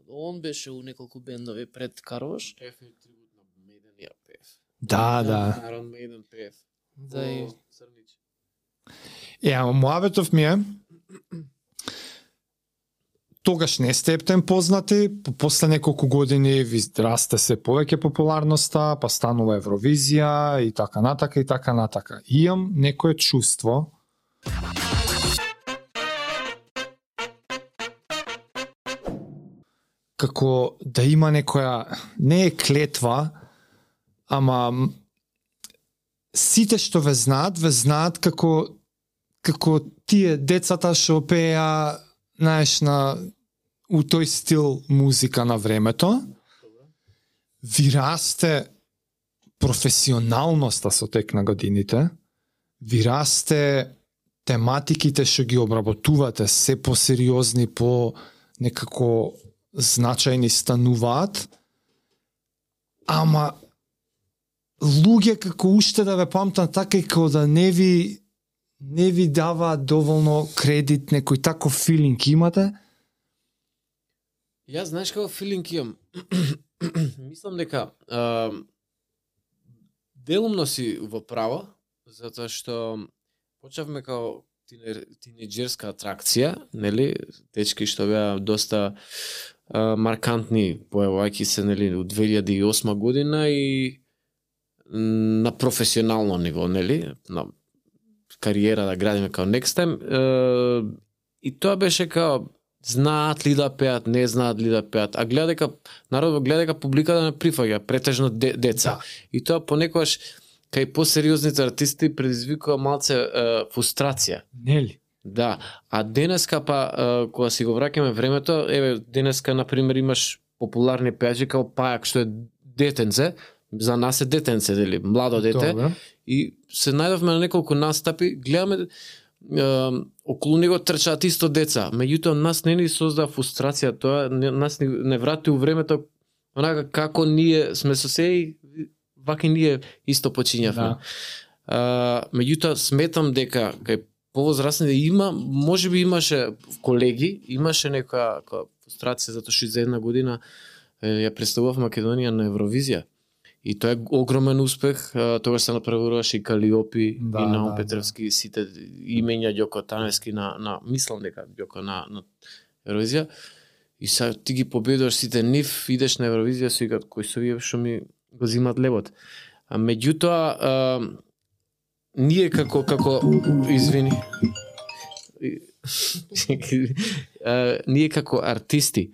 он беше у неколку бендови пред Карош. Пев и трибут на Maiden ја пев. Да. Iron Maiden пев. Да и Црнич. Муабетов ми е, тогаш не сте ептен познати, после неколку години ви расте се повеќе популарноста, па станува Евровизија и така натака и така натака. Имам некое чувство како да има некоја, не е клетва, ама сите што ве знаат како тие децата што пеа, знаеш, у тој стил музика на времето. Ви расте професионалноста со тек на годините, ви расте тематиките што ги обработувате се посериозни, по некако значајни стануваат, ама луѓе како уште да ве памтат така и како да не ви дава доволно кредит, некој таков филинг имате? Јас знаеш како филинг имам. Мислам дека делумно си во права, затоа што почнавме како тинеџерска атракција, нели, дечки што беа доста маркантни, појавајќи се, нели, у 2008 година и на професионално ниво, нели, на кариера да градиме као Next Time, и тоа беше као знаат ли да пеат, не знаат ли да пеат, а гледа дека народот гледа дека публиката не прифаќа, претежно деца. Да. И тоа понекогаш кај посериозните артисти предизвикува малце фрустрација. Нели? Да, а денеска па кога си го враќаме времето, еве денеска на пример имаш популарни пејачи као Пајак што е детенце, за нас е детенце, дели, младо дете. Добре. И се најдовме на неколку настапи, гледаме околу него трчаат исто деца, меѓутоа нас не ни создава фрустрација, тоа нас не врати у времето онака како ние сме со се и вака ние исто почињавме. Да. Меѓутоа сметам дека кај повозрастните има, можеби имаше колеги, имаше некоја фрустрација затоа што за една година ја представував Македонија на Евровизија. И тоа е огромен успех, тогаш се направуваше и Калиопи, Да, и Наум да, Петревски, сите имења Ѓоко Таневски на мислам дека Ѓоко на Евровизија. И сега ти ги победуваш сите нив, идеш на Евровизија, си викат кои се овие што ми го зимат лебот. А меѓутоа ние како извини. Ние како артисти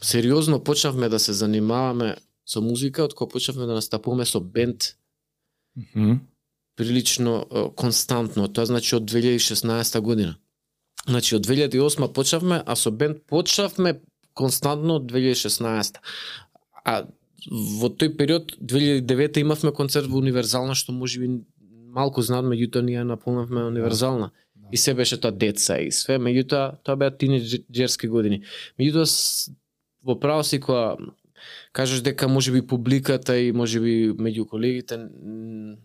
сериозно почнавме да се занимаваме со музика, од кога почнавме да настапуваме со бенд прилично константно. Тоа значи од 2016 година. Значи од 2008 почнавме, а со бенд почнавме константно од 2016. А во тој период 2009 имавме концерт во Универзална, што можеби малку знаат, меѓутоа ние наполнавме Универзална. Да. И се беше тоа деца и све, меѓутоа тоа беа тинеџерски години. Меѓутоа во право си кога кажеш дека можеби публиката и можеби меѓу колегите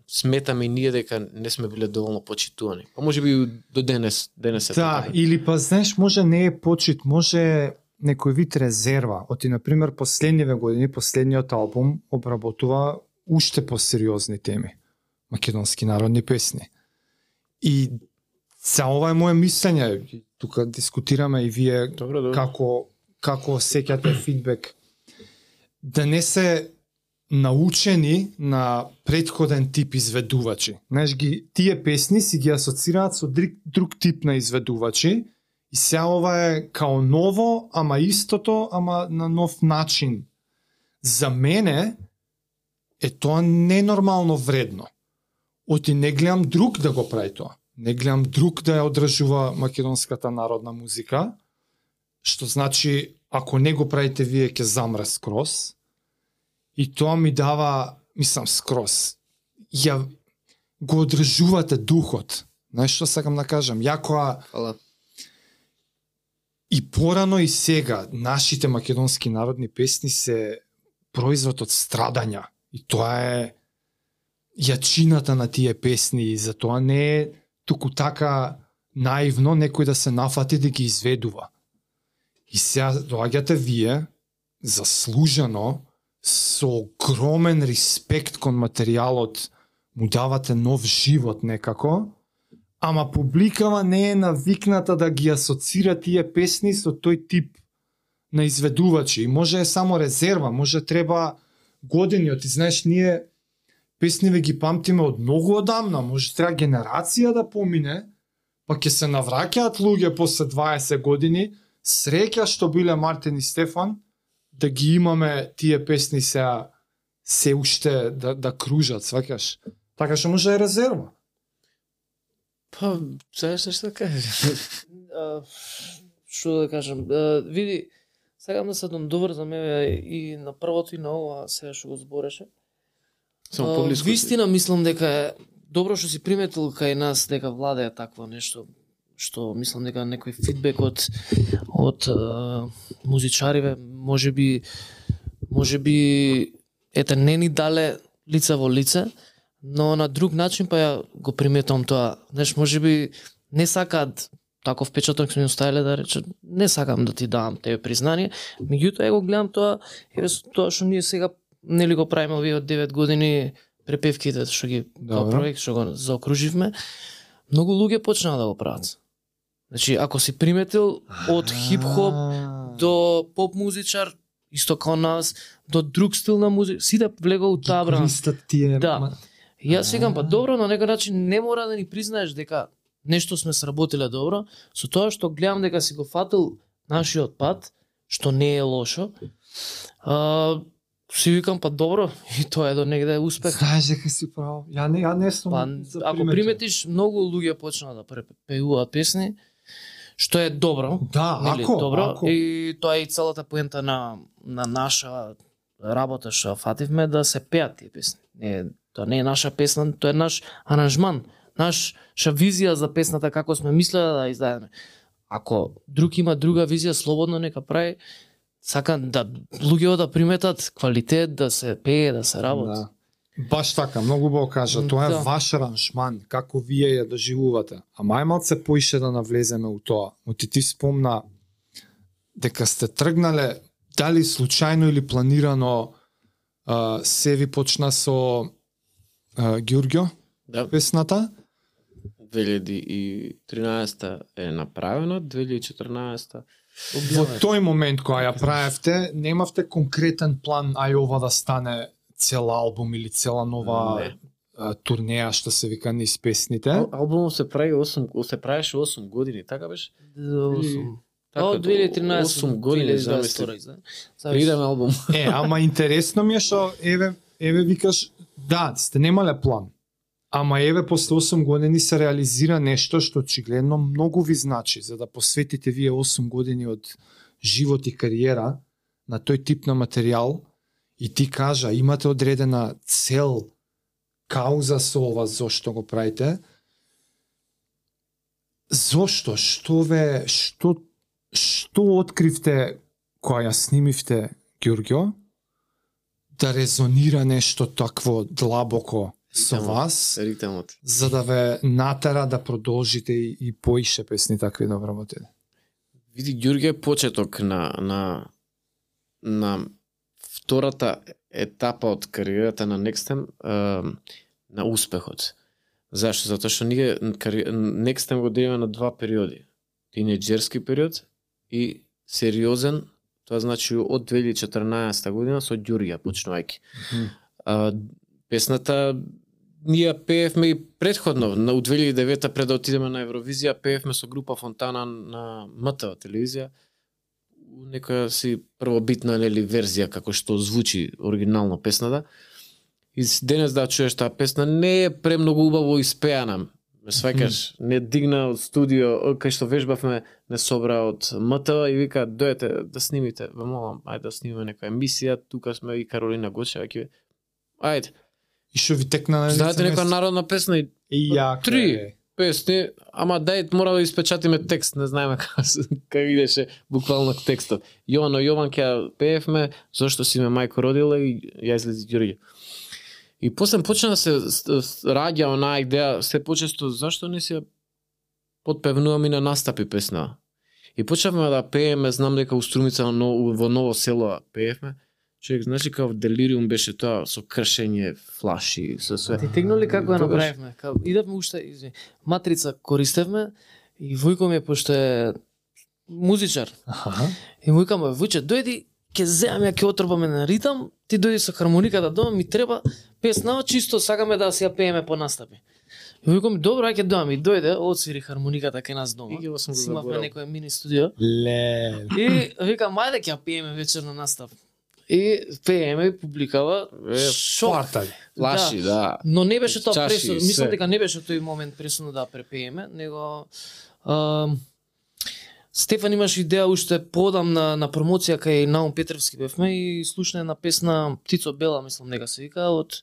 сметаме и ние дека не сме биле доволно почитувани. Па можеби до денес е Да, така. или па знаеш, може не е почит, може некој вид резерва. Оти, например, последниве години, последниот албум обработува уште посериозни теми. Македонски народни песни. И за ова е моje мислење. Тука дискутираме и вие Добро. како сеќате фидбек. Да не се научени на претходен тип изведувачи. Знаеш, тие песни си ги асоцираат со друг тип на изведувачи и сега ова е као ново, ама истото, ама на нов начин. За мене е тоа ненормално вредно. Оти не гледам друг да го прави тоа. Не гледам друг да ја одржува македонската народна музика, што значи, ако не го правите вие, ќе замре скроз. И тоа ми дава, мислам, скроз. Ја го одржувате духот. Знаеш што сакам да кажам? Јакоа Фала. и порано и сега нашите македонски народни песни се производ од страдања. И тоа е јачината на тие песни и затоа не е туку така наивно некој да се нафати да ги изведува. И сега доаѓате вие, заслужено, со огромен респект кон материјалот, му давате нов живот некако, ама публикава не е навикната да ги асоцира тие песни со тој тип на изведувачи. И може е само резерва, може треба години, ти знаеш, ние песниве ги памтиме од многу одамна, може треба генерација да помине, па ќе се навраќаат луѓе после 20 години, среќа што биле Мартин и Стефан, да ги имаме тие песни сега се уште да кружат, сваќаш. Така што може е резерва. Па, знаеш што кажеш? Што да кажам, види, сакам да се добр за мене и на првото и на ова сега што го збореше. Само поблиску. Вистина мислам дека е добро што си приметил кај нас дека владее такво нешто, што мислам дека некој фидбек од музичариве можеби ете не ни дале лице во лице, но на друг начин па ја го приметувам тоа. Знаеш, можеби не сакаат таков впечаток сме оставиле да рече, не сакам да ти давам тебе признание, меѓутоа го гледам тоа, еве тоа што ние сега нели го правиме овие од 9 години препевките што ги како проект што го заокруживме, многу луѓе почнаа да го прават. Значи, ако си приметил од хип-хоп до поп музичар, исто како нас, до друг стил на музика, сите влегоа у таа брана. Да. Јас секам па добро, на некој начин не мора да ни признаеш дека нешто сме сработиле добро, со тоа што гледам дека си го фатил нашиот пат, што не е лошо. Си викам па добро, и тоа е до негде успех. Знаеш дека си право. Ја не сум. Па, ако приметиш, многу луѓе почнаа да пеуваат песни, што е добро. Да, нели, ако, добро. ако. И тоа е и целата поента на наша работа што фативме да се пеат тие песни. Тоа не е наша песна, тоа е наш аранжман, наша визија за песната како сме мислеле да издадеме. Ако друг има друга визија, слободно нека прави. Сакам да луѓето да приметат квалитет, да се пее, да се работи. Да. Баш така, многу убаво кажа, тоа е ваш аранжман, како вие ја доживувате. А мајмалце поише да навлеземе у тоа. Но ти спомна дека сте тргнале, дали случајно или планирано, се ви почна со Ѓурѓо, Да. песната. 2013 е направена, 2014 Во тој момент кога ја правевте, немавте конкретен план, ај ова да стане цел албум или цела нова турнеја што се вика низ песните. Албумот се правеше 8 години, така беше? Од 2013 8 години замисли. Идеме албум. Ама интересно ми е што еве викаш, да, сте немале план. Ама еве после 8 години се реализира нешто што очигледно многу ви значи, за да посветите вие 8 години од живот и кариера на тој тип на материјал и ти кажа, имате одредена цел, кауза со ова, зошто го правите. Зошто? Што откривте кога ја снимивте Ѓурѓо да резонира нешто такво длабоко со вас, Ритмот. за да ве натера да продолжите и поише песни такви да вработите? Види, Ѓурѓе е почеток на втората етапа од кариерата на Nextem, на успехот. Зашто? Затоа што ние Nextem го делиме на два периоди. Тинејџерски период и сериозен, тоа значи од 2014 година со Ѓурѓа почнувајќи. Песната ние пеевме и предходно, у 2009 пред да отидеме на Евровизија, пеевме со група Фонтана на МТВ телевизија, некоја си првобитна нели верзија како што звучи оригинално песната. И денес да чуеш таа песна не е премногу убаво испеана. Ме сваќаш, не дигна од студио, кај што вежбавме, не собра од МТВ и вика дојдете да снимите. Ве молам, ајде да снимиме некоја емисија, тука сме и Каролина Гочева ќе. Ајде. И што ви текна на знаете некоја народна песна и јако. 3 песни, ама дај мора да испечатиме текст, не знаеме како идеше буквално текстот. Јовано Јован ќе пеевме, зошто си ме мајко родила и ја излези Ѓурѓе. И после почна да се раѓа онаа идеја се почесто зашто не се подпевнувам и на настапи песна. И почнавме да пееме, знам дека у Струмица во Ново село пеевме. Човек, значи као делириум беше тоа со кршење, флаши, со све. Ти тегнули како ја Тогаш- направивме? Идевме уште, матрица користевме и Војко ми пошто е музичар. Аха. И му викам, Војче, дојди, ќе земам ја, ќе отрбаме на ритам, ти дојди со хармониката дома, ми треба песна, чисто сакаме да си ја пееме по настапи. И викам, добро, ајде дома, и дојде, отсвири хармониката кај нас дома. И ги сум го Симавме заборал. некој мини студио. Ле. И викам, ајде ќе ја пееме вечер на настап. И пееме, и публикава, шок. Партали. Флаши, да. Но не беше тоа Чаши, пресудно, све. мислам дека не беше тој момент пресудно да препееме, него Стефан имаш идеја уште подам на промоција кај Наум Петревски бевме и слушна една песна Птицо Бела, мислам дека се вика, од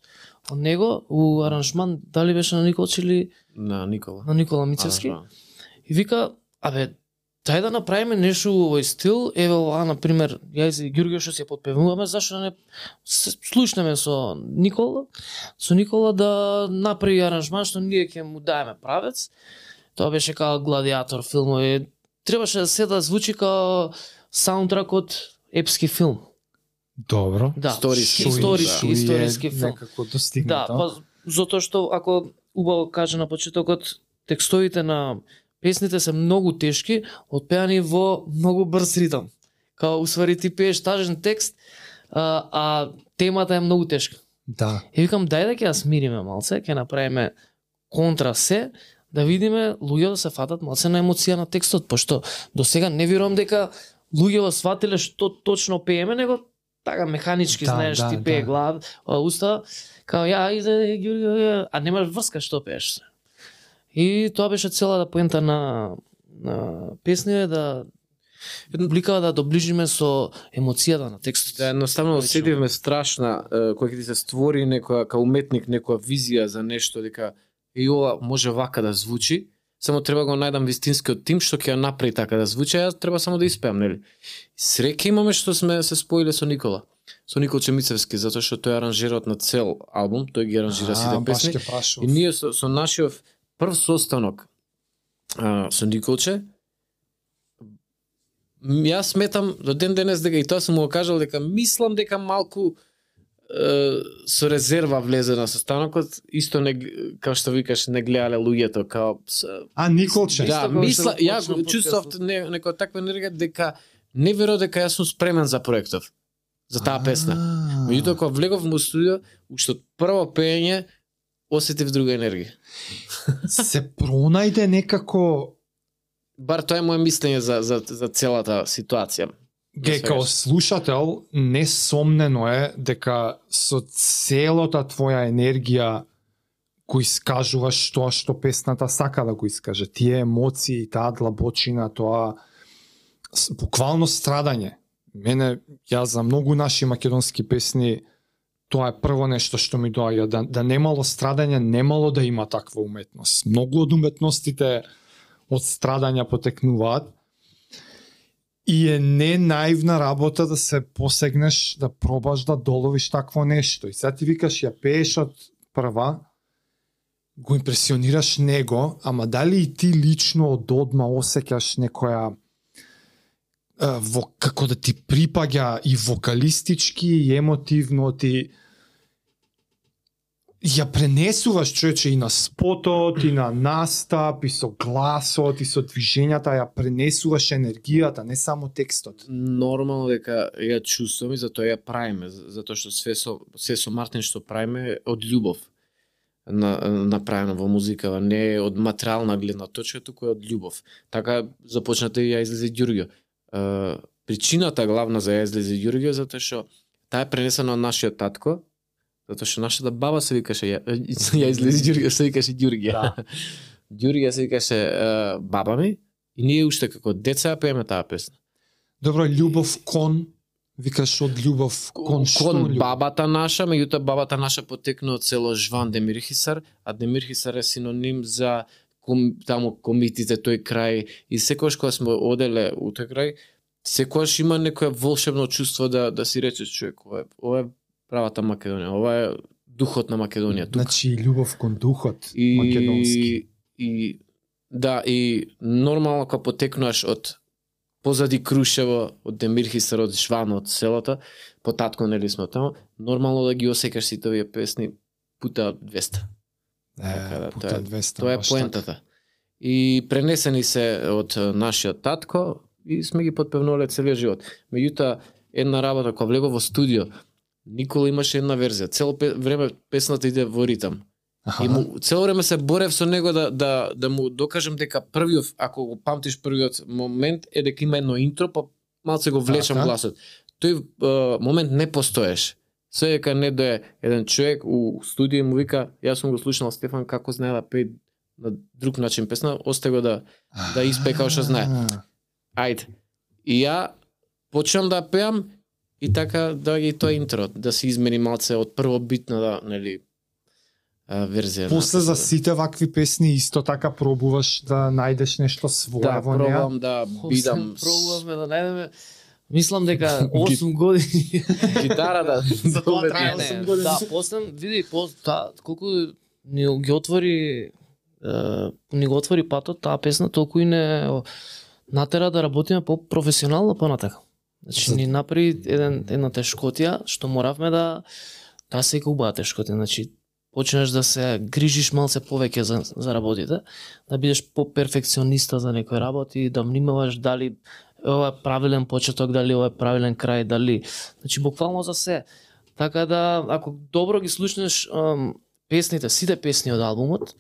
него, у аранжман, дали беше на Николч или На Никола. на Никола Мицевски. Аранжман. И вика, абе, дај да направиме нешто во овој стил, еве ова, например, ја и Ѓурѓе што се подпевуваме, зашто да не слушнеме со Никола да направи аранжман што ние ќе му даеме правец. Тоа беше као Гладиатор филмови. Требаше да се да звучи као саундтрак од епски филм. Добро. Да, Историски, историски филм. Некако Да, достигнато. па затоа што ако убаво каже на почетокот, текстовите на песните се многу тешки, отпеани во многу брз ритам. Као усвари ти пееш тажен текст, а темата е многу тешка. Да. И викам, дај да ќе ја смириме малце, ќе направиме контра се, да видиме луѓе да се фатат малце на емоција на текстот, пошто до сега не верувам дека луѓе го сватиле што точно пееме, него така механички, Да, знаеш, да, ти пее да. глава, уста, као ја иде Ѓурѓе, а немаш врска што пееш. И тоа беше целата поента на песни да публикава да доближиме со емоцијата на текстот. Да, едноставно Лично. оседивме страшна, кој ќе ти се створи некоја, као уметник, некоја визија за нешто, дека и ова може вака да звучи, само треба го најдам вистинскиот тим што ќе ја направи така да звучи, а јас треба само да испеам, нели? Среќа имаме што сме се споиле со Никола. Со Николче Мицевски, затоа што тој е аранжерот на цел албум, тој ги аранжира сите Баш песни. ќе прашував. И ние со нашиот прв состанок со Николче, јас сметам до ден денес дека и тоа сум му го кажал дека мислам дека малку со резерва влезе на состанокот, исто не како што викаш не гледале луѓето као Николче. да, Исто како мисла што ја почна го чувствав подкастот. некоја таква енергија дека не верував дека јас сум спремен за проектот, за таа песна. Меѓутоа кога влегов во студио, уште од прво пеење осетив друга енергија. Се пронајде некако Бар тоа е моje мислење за целата ситуација. Ге, као слушател, несомнено е дека со целата твоја енергија го искажуваш тоа што песната сака да го искаже. Тие емоции, таа длабочина, тоа буквално страдање. Мене, ја за многу наши македонски песни, тоа е прво нешто што ми доаѓа. Да немало страдање, немало да има таква уметност. Многу од уметностите од страдања потекнуваат. И е не наивна работа да се посегнеш, да пробаш да доловиш такво нешто. И сега ти викаш, ја пееш од прва, го импресионираш него, ама дали и ти лично од одма осеќаш некоја како да ти припаѓа и вокалистички, и емотивно, ти ја пренесуваш, човече, и на спотот, и на настап, и со гласот, и со движењата, ја пренесуваш енергијата, не само текстот. Нормално дека ја чувствувам и затоа ја правиме, затоа што се со Мартин што правиме од љубов направено во музика, не е од материјална гледна точка, туку е од љубов. Така започнате и ја излезе Ѓурѓе. Причината главна за ја излезе Ѓурѓе затоа што таа е пренесена од нашиот татко, затоа што нашата баба се викаше ја излезе Ѓурѓе, се викаше Ѓурѓе. Да. Ѓурѓе се викаше баба ми и ние уште како деца ја пееме таа песна. Добро, љубов кон, викаш од љубов кон што? Кон љубов? бабата наша, меѓутоа бабата наша потекна од село Жван Демирхисар, а Демирхисар е синоним за таму комитите тој крај и секогаш кога сме оделе у тој крај, секогаш има некое волшебно чувство да си речеш човек, ова е правата Македонија, ова е духот на Македонија тука. Значи љубов кон духот македонски. И да, и нормално кога потекнуваш од позади Крушево, од Демирхистер, од Шван, од селото, по татко нели сме таму, нормално да ги осекаш сите овие песни пута 200. Пута 200. Тоа е поентата. И пренесени се од нашиот татко и сме ги подпевнувале целиот живот. Меѓутоа, една работа кога влегов во студио, Никола имаше една верзија. Цело време песната иде во ритам. И му цело време се борев со него да му докажам дека првиот, ако го памтиш првиот момент е дека има едно интро, па малце го влечам гласот. Тој момент не постоеше. Се дека не дое еден човек у студио му вика, јас сум го слушнал Стефан како знае да пее на друг начин песна, остай го да испее како што знае. Ајде. И ја почнам да пеам и така да ги тоа интро, да се измени малце од првобитна да, нели, верзија. После за сите вакви песни исто така пробуваш да најдеш нешто свое во неа? Да, пробувам да бидам. Пробуваме да најдеме. Мислам дека 8 години гитарата за тоа трае 8 години. Да, после види колку ни ги отвори патот таа песна, толку и не натера да работиме по-професионално понатака. Значи ни направи една тешкотија што моравме да се убава тешкотија. Значи почнеш да се грижиш малце повеќе за работите, да бидеш по-перфекциониста за некои работи, да внимаваш дали ова е правилен почеток, дали ова е правилен крај, дали, значи буквално за се. Така да ако добро ги слушнеш песните, сите песни од албумот,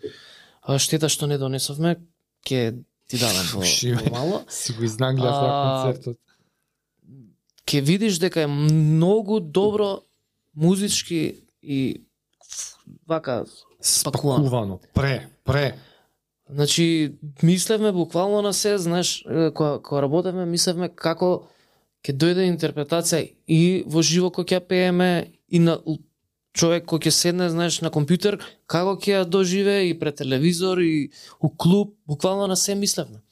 штета што не донесовме, ќе ти дадам во мало. Си го изнагледав на концертот. Ќе видиш дека е многу добро музички и вака спакувано. Пре. Значи, мислевме буквално на се, знаеш, кога работевме, мислевме како ќе дојде интерпретација и во живо кој ќе пееме и на човек кој ќе седне, знаеш, на компјутер, како ќе ја доживее и пред телевизор и у клуб, буквално на се мислевме.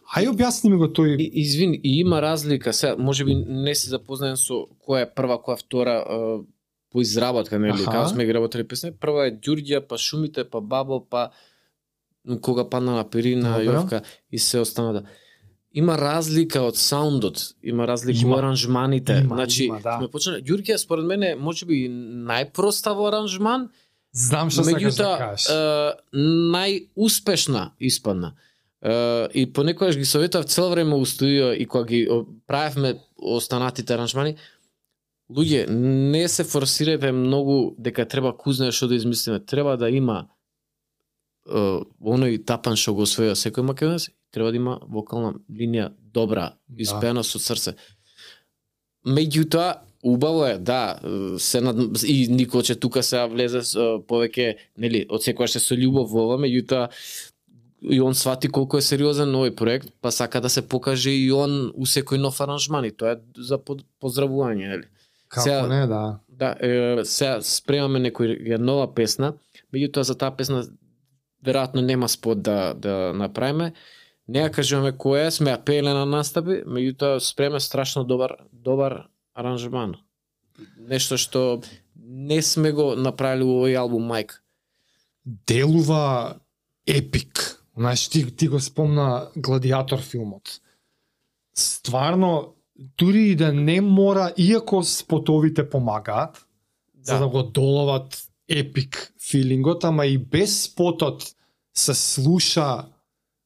Ај објасни ми го тој. Извини, и има разлика, сега можеби не си запознаен со која е прва, која е втора по изработка, нели, како сме ги работели песни. Прва е Ѓурѓа, па Шумите, па Бабо, па Кога падна на Перина, Јовка и се останата. Има разлика од саундот, има разлика во аранжманите. Значи, сме почнали Ѓурѓа според мене можеби најпроста во аранжман. Знам што сакаш да кажеш. Најуспешна испадна. И понекогаш ги советував цело време у студио и кога ги правевме останатите аранжмани, луѓе, не се форсирајте многу дека треба кузне што да измислиме. Треба да има оној тапан што го освоја секој македонец, треба да има вокална линија добра, испеана со срце. Меѓутоа, убаво е, да, и Николче тука се влезе повеќе, нели, од секојаш се со љубов во ова, меѓутоа и он свати колку е сериозен овој проект, па сака да се покаже и он у секој нов аранжман и тоа е за поздравување, нели. Како не, да. Да, сега спремаме некоја нова песна, меѓутоа за таа песна веројатно нема спот да направиме. Не ја кажуваме која е, сме ја пееле на настапи, меѓутоа спреме страшно добар аранжман. Нешто што не сме го направили во овој албум Майк. Делува епик. Знаеш, ти го спомна Гладиатор филмот. Стварно, дури и да не мора, иако спотовите помагаат, за да го доловат епик филингот, ама и без спотот се слуша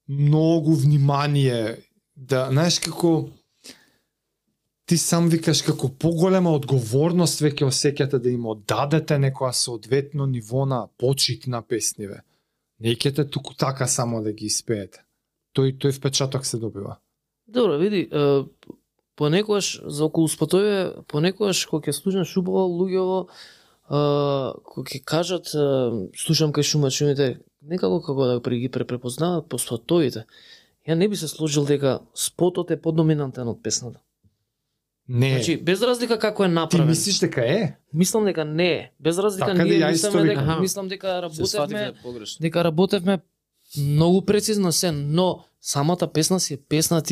многу внимание, да, знаеш, како ти сам викаш како поголема одговорност веќе осеќате да им оддадете некоја соодветно ниво на почит на песниве. Не ќете туку така само да ги испеете. Тој впечаток се добива. Добро, види, понекогаш за околу спотове, понекогаш кога ќе слушнеш убаво луѓево, кога ќе кажат слушам кај шумите, некако како да ги препознават по спотовите. Ја не би се сложил дека спотот е подоминантен од песната. Не. Значи, без разлика како е направен. Ти мислиш дека е? Мислам дека не е. Без разлика така ние мислам дека работевме многу прецизно се, но самата песна си е песна,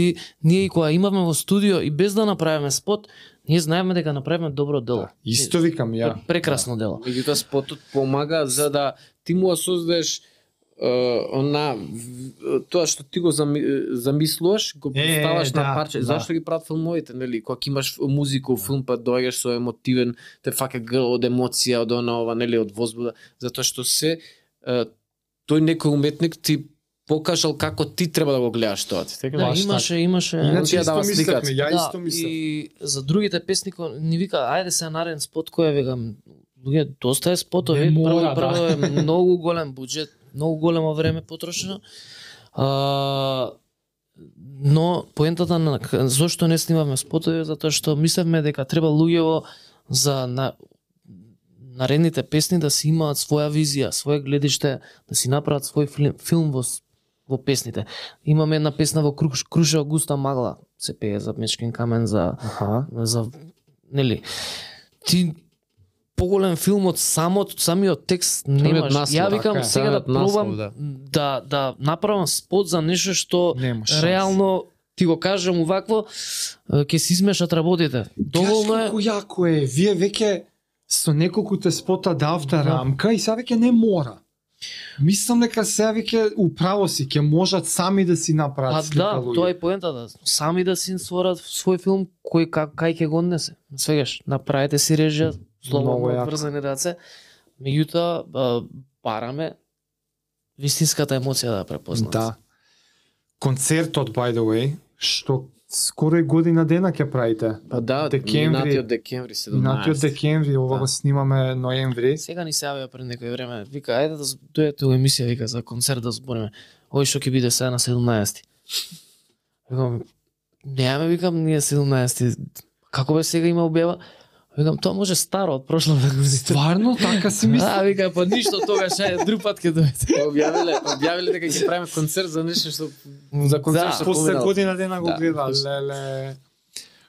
ние и кога имавме во студио и без да направиме спот, ние знаеме дека направиме добро дело. Исто викам ја. Прекрасно дело. Меѓутоа спотот помага за да ти му создадеш тоа што ти го замислуваш, го поставаш на парче. да. Зашто ги прават филмовите, нели? Кога имаш музика, филм, па доаѓаш со емотивен, те фака грл од емоција, од ова, нели, од возбуда, затоа што тој некој уметник ти покажал како ти треба да го гледаш тоа. Така Да, имаше Иначе ја исто дава мислевме, сликата. ја исто мислев. И за другите песни ни вика ајде се нареден спот кој викам луѓе доста е спотови, Не мора, прво е многу голем буџет, многу големо време потрошено. Но поентата на зошто не снимавме спотови затоа што мислевме дека треба луѓево за наредните песни да си имаат своја визија, свое гледиште, да си направат свој филм во песните. Имаме една песна во Крушево густа магла, се пее за Мечкин камен, за нели. Ти поголем филм од самиот текст немаш. Ја викам сега да пробам да направам спот за нешто што реално ти го кажам увакво ќе се измешат работите. Доволно е. Колку јако е, вие веќе со неколкуте спота давте рамка и сега веќе не мора. Мислам дека сега веќе управо си ќе можат сами да си направат слика луѓе. Тоа е поентата. Сами да си створат свој филм кој кај ќе го однесе. Свегаш, направете си режија, слободно врзани раце. Меѓутоа бараме вистинската емоција да препознаат. Да. Концертот by the way, што скоро и година дена ќе правите. Па да, минатиот декември 17. Минатиот декември, ова го снимаме ноември. Сега ни се јавија пред некој време. Вика, ајде да дојдете у емисија, вика, за концерт да збориме. Ој што ќе биде сега на 17. Викам, неаме, викам, ние 17. Како бе сега има објава? Викам, тоа може старо од прошлата година. Стварно така си мисли? Вика, па ништо тогаш, ајде, друг пат ќе дојдете. Објавиле дека ќе правиме концерт за нешто што за концерт што после поминало. година дена го гледа. Леле.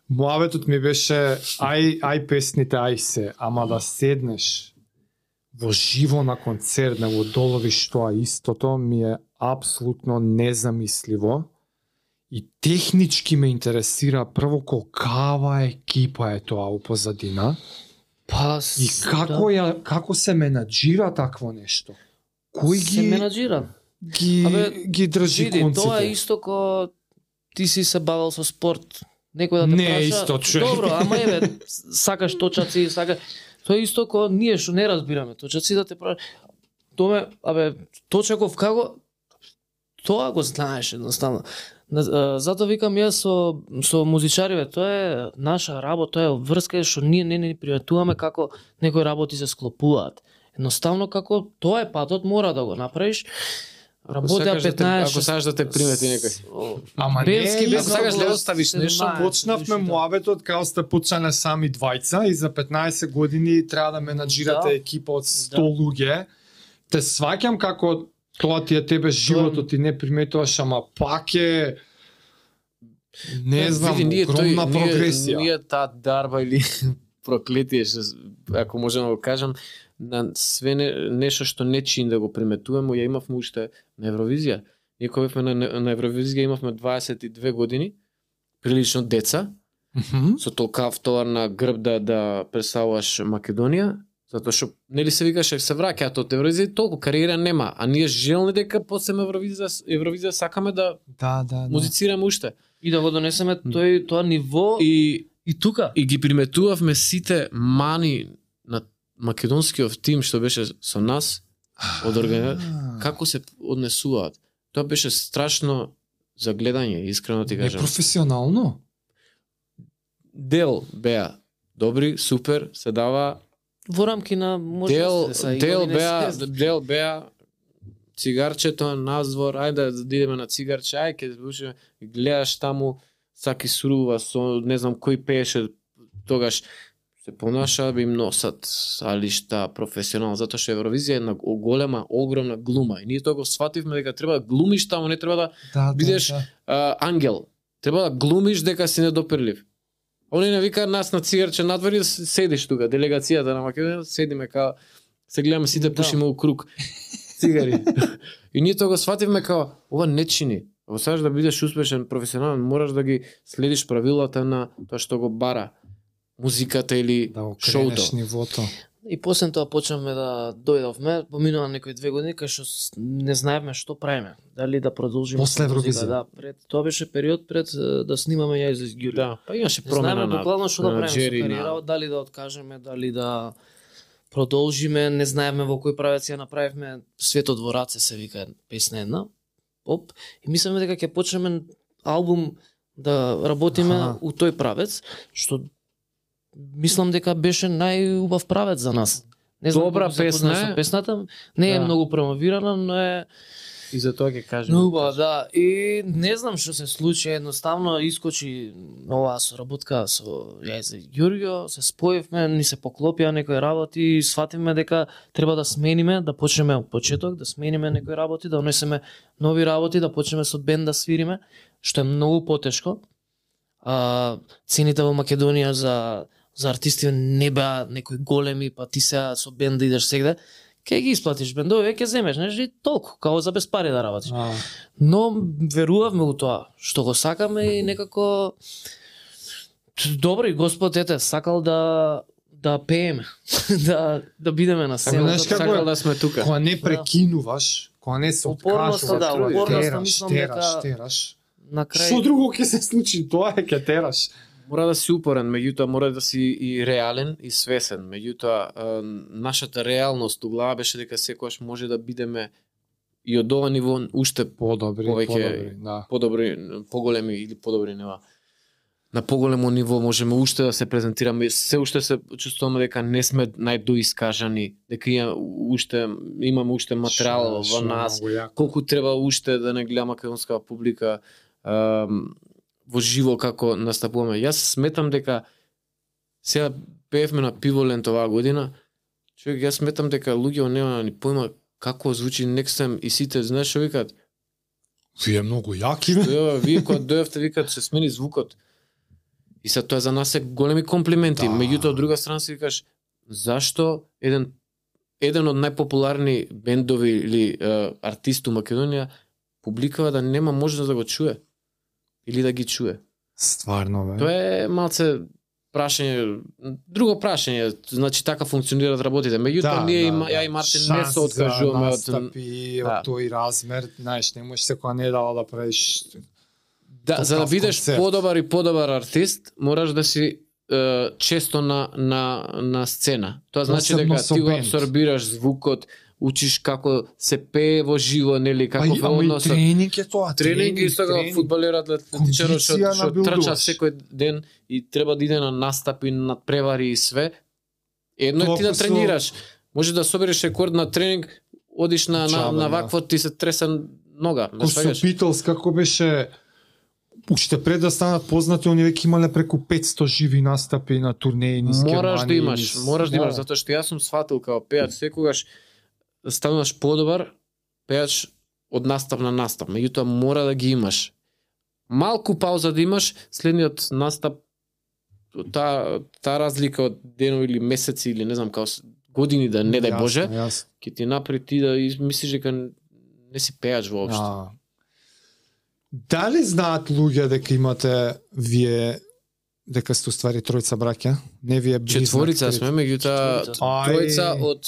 Муабетот ми беше ај песните, ај се, ама да седнеш во живо на концерт, да го доловиш тоа истото, ми е апсолутно незамисливо. И технички ме интересира прво колкава екипа е тоа у позадина. Па, И како се менаџира такво нешто? Кој се менаџира? ги држи конците? Тоа е исто ко ти си се бавил со спорт. Некој да те Не праша. исто, човек. Добро, ама еве, сакаш точаци, тоа е исто ко ние што не разбираме точаци да те праша. Томе, точаков како тоа го знаеш едноставно. Затоа викам јас со музичариве, тоа е наша работа, тоа е врска што ние не приметуваме како некои работи се склопуваат. Едноставно како тоа е патот, мора да го направиш. Работеа 15. Ако сакаш да те примети некој. Ама Белски не, без ако сакаш да оставиш нешто, почнавме муабетот као сте почнале сами двајца и за 15 години треба да менаџирате екипа од 100 луѓе. Те сваќам како тоа ти е тебе животот, ти не приметуваш, ама пак е не знам, огромна прогресија. Ние таа дарба или проклетие, ако можеме да го кажам, на све нешто што не чин да го приметуваме, ја имавме уште на Евровизија. Ние кога бевме на Евровизија имавме 22 години, прилично деца, со толка втовар на грб да представуваш Македонија, затоа што нели се викаше се враќаат од Евровизија, толку кариера нема, а ние желни дека после Евровизија сакаме да музицираме уште. И да го донесеме тоа ниво и тука. И ги приметувавме сите мани на македонскиот тим што беше со нас од организација, како се однесуваат. Тоа беше страшно за гледање, искрено ти кажам. Непрофесионално? Дел беа добри, супер, се дава во рамки на дел беа цигарчето надвор, ајде да идеме на цигарче, ќе слушаме, гледаш таму саки сурува со не знам кој пееше тогаш се понаша би им носат алишта професионално, затоа што Евровизија е една голема, огромна глума и ние тоа го свативме дека треба да глумиш таму, не треба да бидеш ангел. Треба да глумиш дека си недопирлив. Они не викаат нас на цигарче надвор и да седиш тука, делегацијата на Македонија, седиме као се гледаме сите пушиме у круг цигари. И ние тоа го свативме као ова не чини. Ако сакаш да бидеш успешен професионален, мораш да ги следиш правилата на тоа што го бара музиката или да шоуто. Нивото. И после тоа почнавме да дојдовме, поминува некои 2 години кај што не знаевме што правиме. Дали да продолжиме После со музика, Евровизија. да, пред тоа беше период пред да снимаме ја из Ѓури. Да, па имаше Не промена знаеме на буквално што да на правиме со Джери, кариера, дали да откажеме, дали да продолжиме, не знаевме во кој правец ја направивме. Светот во раце се вика песна една, поп, и мислиме дека ќе почнеме албум да работиме Аха. у тој правец, што мислам дека беше најубав правец за нас. Не знам Добра колку се песна познае е. со песната, не е Да. многу промовирана, но е И за тоа ќе кажем. Нуба, да. И не знам што се случи, едноставно искочи оваа соработка со ја и за Ѓурѓо, се споивме, ни се поклопија некои работи и свативме дека треба да смениме, да почнеме од почеток, да смениме некои работи, да унесеме нови работи, да почнеме со бенд да свириме, што е многу потешко. Цените во Македонија за артисти не беа некои големи, па ти сега со бенд да идеш сегде, ќе ги исплатиш бендове, ќе земеш, нешто и толку, као за без пари да работиш. Но верувавме у тоа што го сакаме и некако добро и Господ ете сакал да пееме, да бидеме на сцена. знаеш како Сакал е? да сме тука. Кога не прекинуваш, кога не се Упорноста, откажуваш, да, упорноста, тераш, мислам тераш, дека- тераш. На крај Што друго ќе се случи? Тоа е ќе тераш. Мора да си упорен, меѓутоа мора да си и реален и свесен. Меѓутоа нашата реалност у глава беше дека секогаш може да бидеме и од ова ниво уште Подобри, Повеќе- да. подобри, поголеми или подобри нива. На поголемо ниво можеме уште да се презентираме, се уште се чувствуваме дека не сме најдоискажани, дека имаме уште материјал во нас, колку треба уште да не гледа македонска публика во живо како настапуваме. Јас сметам дека сега пеевме на Пиволент оваа година, човек, јас сметам дека луѓето нема ни појма како звучи Next и сите, знаеш што викаат? Вие многу јаки, бе. Ева, вие кога дојавте викаат се смени звукот. И се тоа за нас е големи комплименти. Да. Меѓутоа од друга страна си викаш зашто еден од најпопуларни бендови или артист у Македонија публикава да нема можност да го чуе или да ги чуе. Стварно, бе. Тоа е малце прашање, друго прашање, значи така функционираат работите. Меѓутоа ние ја и Мартин не се откажуваме од настапи, Да. од тој размер, знаеш, не можеш секоја недела да правиш. Да, за да Такав бидеш концерт. подобар и подобар артист, мораш да си често на сцена. Тоа значи Посебно дека со ти го бенд. абсорбираш звукот, учиш како се пее во живо, нели, како Ама во и односот. тренинг е тоа. Тренинг и сега фудбалерот, атлетичарот што Кондиција што набилдуваш. трча секој ден и треба да иде на настапи, на превари и све. Едно е ти да Толку со- тренираш. Може да собереш рекорд на тренинг, одиш на Чаба, да. вакво ти се тресе нога, ме Ко со сваѓаш? Beatles, како беше уште пред да станат познати, они веќе имале преку 500 живи настапи на турнеи низ Мораш да Германија, имаш, низ- мораш да Да. имаш, затоа што јас сум сватил као пејач секогаш стануваш подобар пејач од настап на настап, меѓутоа мора да ги имаш. Малку пауза да имаш, следниот настап таа разлика од денови или месеци или не знам као години да не дај Боже, Јасно. ќе ти напри ти да мислиш дека не си пејач воопшто. А. Дали знаат луѓе дека имате вие дека сте уствари тројца браќа? Не вие близнак, Четворица трети. сме, меѓутоа Четворица. тројца Ај. од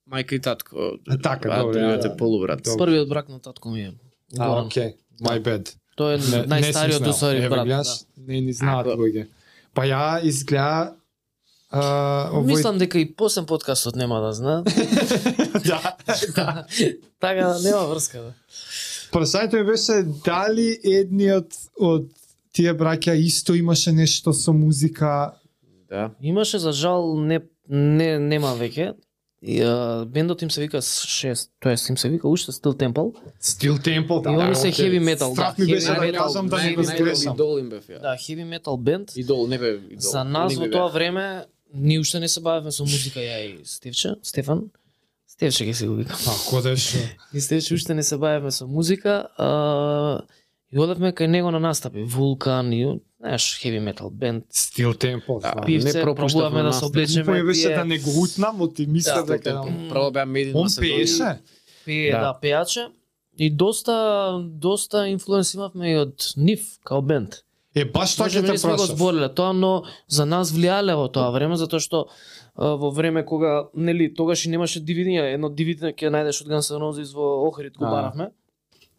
мајка и татко. Така, а добро, другиот да. е полубрат. Добро. Првиот брак на татко ми е. А, Горан. окей. My bad. Тој е најстариот усари брат. Да. Не ни знаат А, луѓе. Па ја изгледа овој Мислам дека и после подкастот нема да знаат. да, да. Така нема врска. Да. Прашањето ми беше дали едниот од тие браќа исто имаше нешто со музика. Да. Имаше за жал нема веќе. И, бендот им се вика 6, тоест им се вика уште Steel Temple. Стил Темпл, И они се heavy metal, Страх да, ми heavy беше да metal, кажам да не го највеќе сгрешам. Идол им бев ја. Да, heavy metal бенд. Идол, не бе идол. За нас Они во ми тоа беа. време ние уште не се бавевме со музика ја и Стефан. Стефче ќе се го викам. Ако деш. И Стефче уште не се бавевме со музика, и одевме кај него на настапи, Вулкан и знаеш heavy metal бенд. Стил Темпл. Да, Да. Пивце, не пропуштав пробуваме на да се настап. облечеме. Ми беше тие- да не го утнам, од ти мисля Да, дека Прво беа Made in он Macedonia. пееше. Пее, Да. да, пејаче. И доста инфлуенс имавме и од нив, као бенд. Баш тоа ќе Може би те не сме го прашав. збориле тоа, но за нас влијале во тоа време, затоа што во време кога, нели, тогаш и немаше DVD, едно DVD ќе најдеш од Guns N' Roses во Охрид го баравме.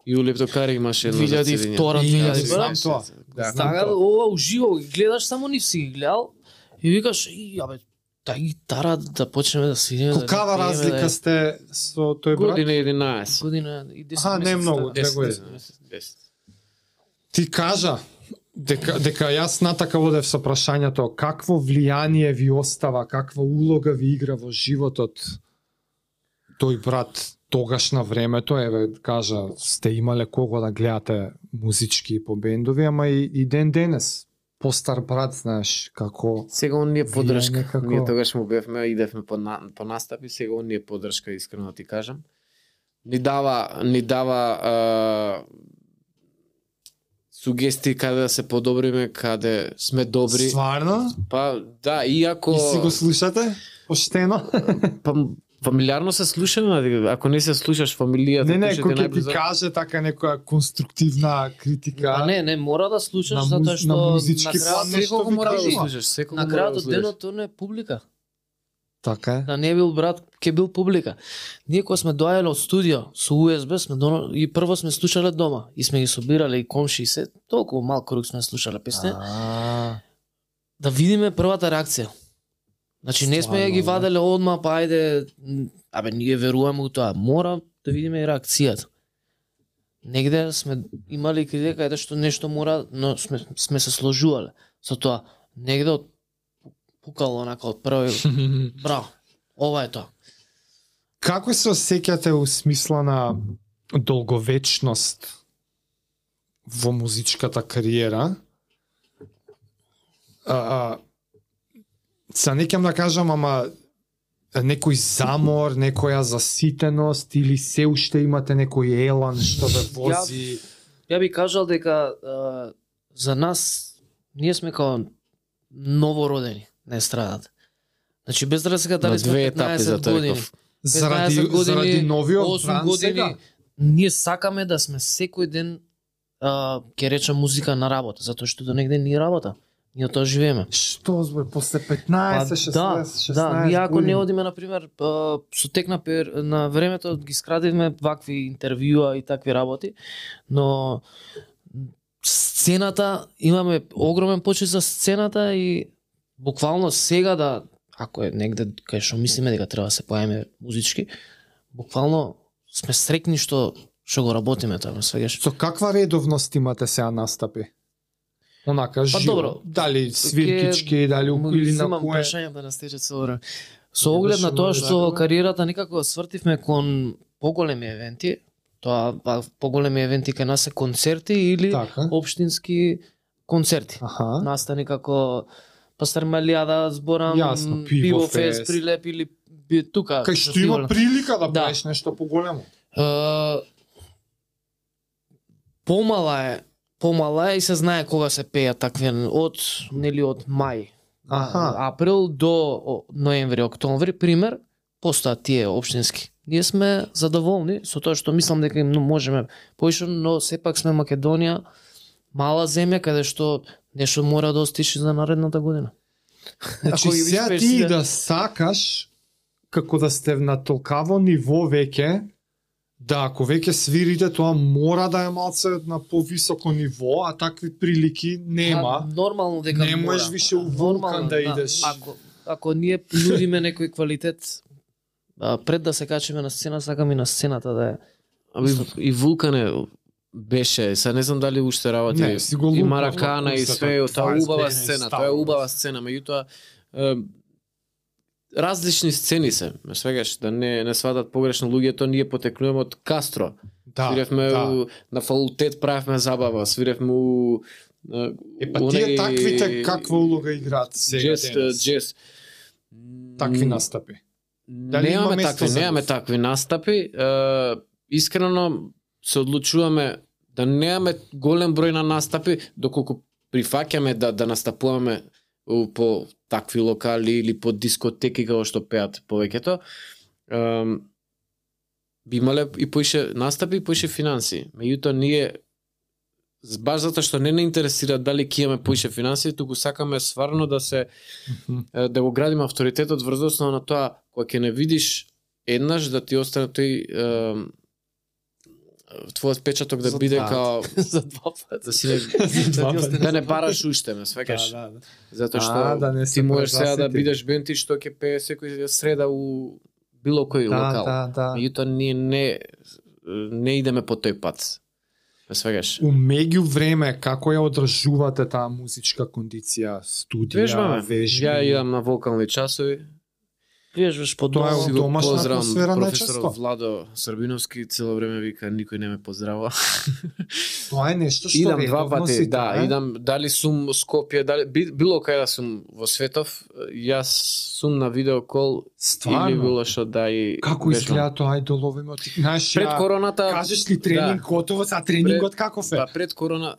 И у Лептокари имаше едно за 2002 Ја 2000 знам брат. тоа. Да. Знам Така, тоа. ова уживо ги гледаш, само нив си ги гледал и викаш, абе, таа гитара да почнеме да свириме. Колкава разлика сте со тој брат? Година 11. Година и 10 Аха, не месеца, многу, да. 2 години. 10. Ти кажа дека јас натака водев со прашањето какво влијание ви остава, каква улога ви игра во животот тој брат тогаш на времето, еве кажа сте имале кого да гледате музички по бендови, ама и ден денес постар брат, знаеш, како Сега он ни е поддршка. некако- Ние тогаш му бевме, идевме по настапи, сега он ни е поддршка, искрено да ти кажам. Ни дава сугестии каде да се подобриме, каде сме добри. стварно? Па да, иако И си го слушате? Поштено? па, фамилиарно се слушаме, ако не се слушаш фамилијата, Не, кој ќе кој те ќе ти најблизо- каже така некоја конструктивна критика. А не, мора да слушаш На затоа на што музички на план крајот нешто Секој ви мора да кажува. слушаш, секој на мора крајот да од слушаш. денот тоа е публика. Така е. Да не бил брат, ке бил публика. Ние кога сме доаѓале од студио со USB, сме и прво сме слушале дома и сме ги собирале и комши и се, толку мал круг сме слушале песни, да видиме првата реакција. Значи не сме ја ги Стварно, ваделе одма, па ајде, абе ние веруваме у тоа, мора да видиме и реакцијата. Негде сме имали критика каде што нешто мора, но сме се сложувале со тоа. Негде од пукало онака од први, браво, ова е тоа. Како се осеќате у смисла на долговечност во музичката кариера? Са не ќе да кажам, ама некој замор, некоја заситеност или се уште имате некој елан што ве вози? Ја би кажал дека за нас ние сме као новородени на естрадата. Значи без разлика дали На сме две етапи 15 за тоа години, реков. 15 години, заради новиот 8 бранд години, сега? ние сакаме да сме секој ден ќе речам музика на работа, затоа што до негде ни работа. Ние од тоа живееме. Што збор, после 15, 16, да, 16 да, ние ако години? не одиме на пример со тек на времето ги скрадивме вакви интервјуа и такви работи, но сцената имаме огромен почит за сцената и буквално сега да ако е негде кај што мислиме дека треба да се појавиме музички, буквално сме среќни што го работиме тоа, ме свегаш. Со каква редовност имате сега настапи? Онака, живо. добро. Дали свиркички, дали или на Имам кое? прашање да настече со време. Со оглед на тоа што Завршуваме. кариерата некако свртивме кон поголеми евенти, тоа поголеми евенти кај нас се концерти или Така. општински концерти. Аха. Настани како Пастар Малијада, зборам, Јасно, Пиво Пивофест. Фест, Прилеп или тука. Кај што има фестивал. прилика да Да. правиш нешто поголемо. Помала е и се знае кога се пеја такви од мај. Аха. Април до ноември, октомври, пример, постојат тие општински. Ние сме задоволни со тоа што мислам дека им можеме поише, но сепак сме Македонија, мала земја каде што нешто мора да остиши за наредната година. Значи Ако ги сега успееш ти да- да сакаш како да сте на толкаво ниво веќе, да ако веќе свирите тоа мора да е малце на повисоко ниво, а такви прилики нема. Нормално дека Не можеш мора. више у вулкан да идеш. Ако ние нудиме некој квалитет пред да се качиме на сцена, сакам и на сцената да е. И Вулкане беше, сега не знам дали уште работи. Не, си го И лупав, Маракана и устата, све, тоа това е е убава сцена, сцена, става. тоа е убава сцена, меѓутоа различни сцени се, ме свегаш, да не сватат погрешно луѓето, ние потекнуваме од Кастро. Да, Свиревме да. на факултет, правевме забава, свиревме у Па тие таквите каква улога играат сега денес? джез. Такви настапи. Дали има Немаме место такви, за немаме нив? такви настапи. Искрено се одлучуваме да немаме голем број на настапи, доколку прифаќаме да настапуваме по такви локали или по дискотеки како што пеат повеќето. Би имале и поише настапи и поише финанси. Меѓутоа ние баш затоа што не интересира дали ќе имаме поише финансии, туку сакаме стварно да се да го градиме авторитетот врз основа на тоа кога ќе не видиш еднаш да ти остане тој твојот печаток да биде као за два пати. да си да не бараш уште, ме сваќаш. Да. Затоа што Да не ти се можеш сега да презасити. бидеш бенти што ќе пее секој среда у било кој локал. Да. Меѓутоа ние не идеме по тој пат. Ме сваќаш. У меѓувреме како ја одржувате таа музичка кондиција, студија, Вежбаме. вежби? Ја идам на вокални часови. Вежбаш по Тоа е дома. од домашна Поздравам атмосфера професор најчесто. Владо Србиновски, цело време вика никој не ме поздрава. Тоа е нешто што Идам два редовно пати, си да, трае. идам дали сум Скопје, дали било кај да сум во светов, јас сум на видеокол или Стварно. било што да и Како вежбам. изгледа тоа ајдолови мо? Знаеш, Пред короната кажеш ли тренинг готово, а тренингот каков е? Па пред корона,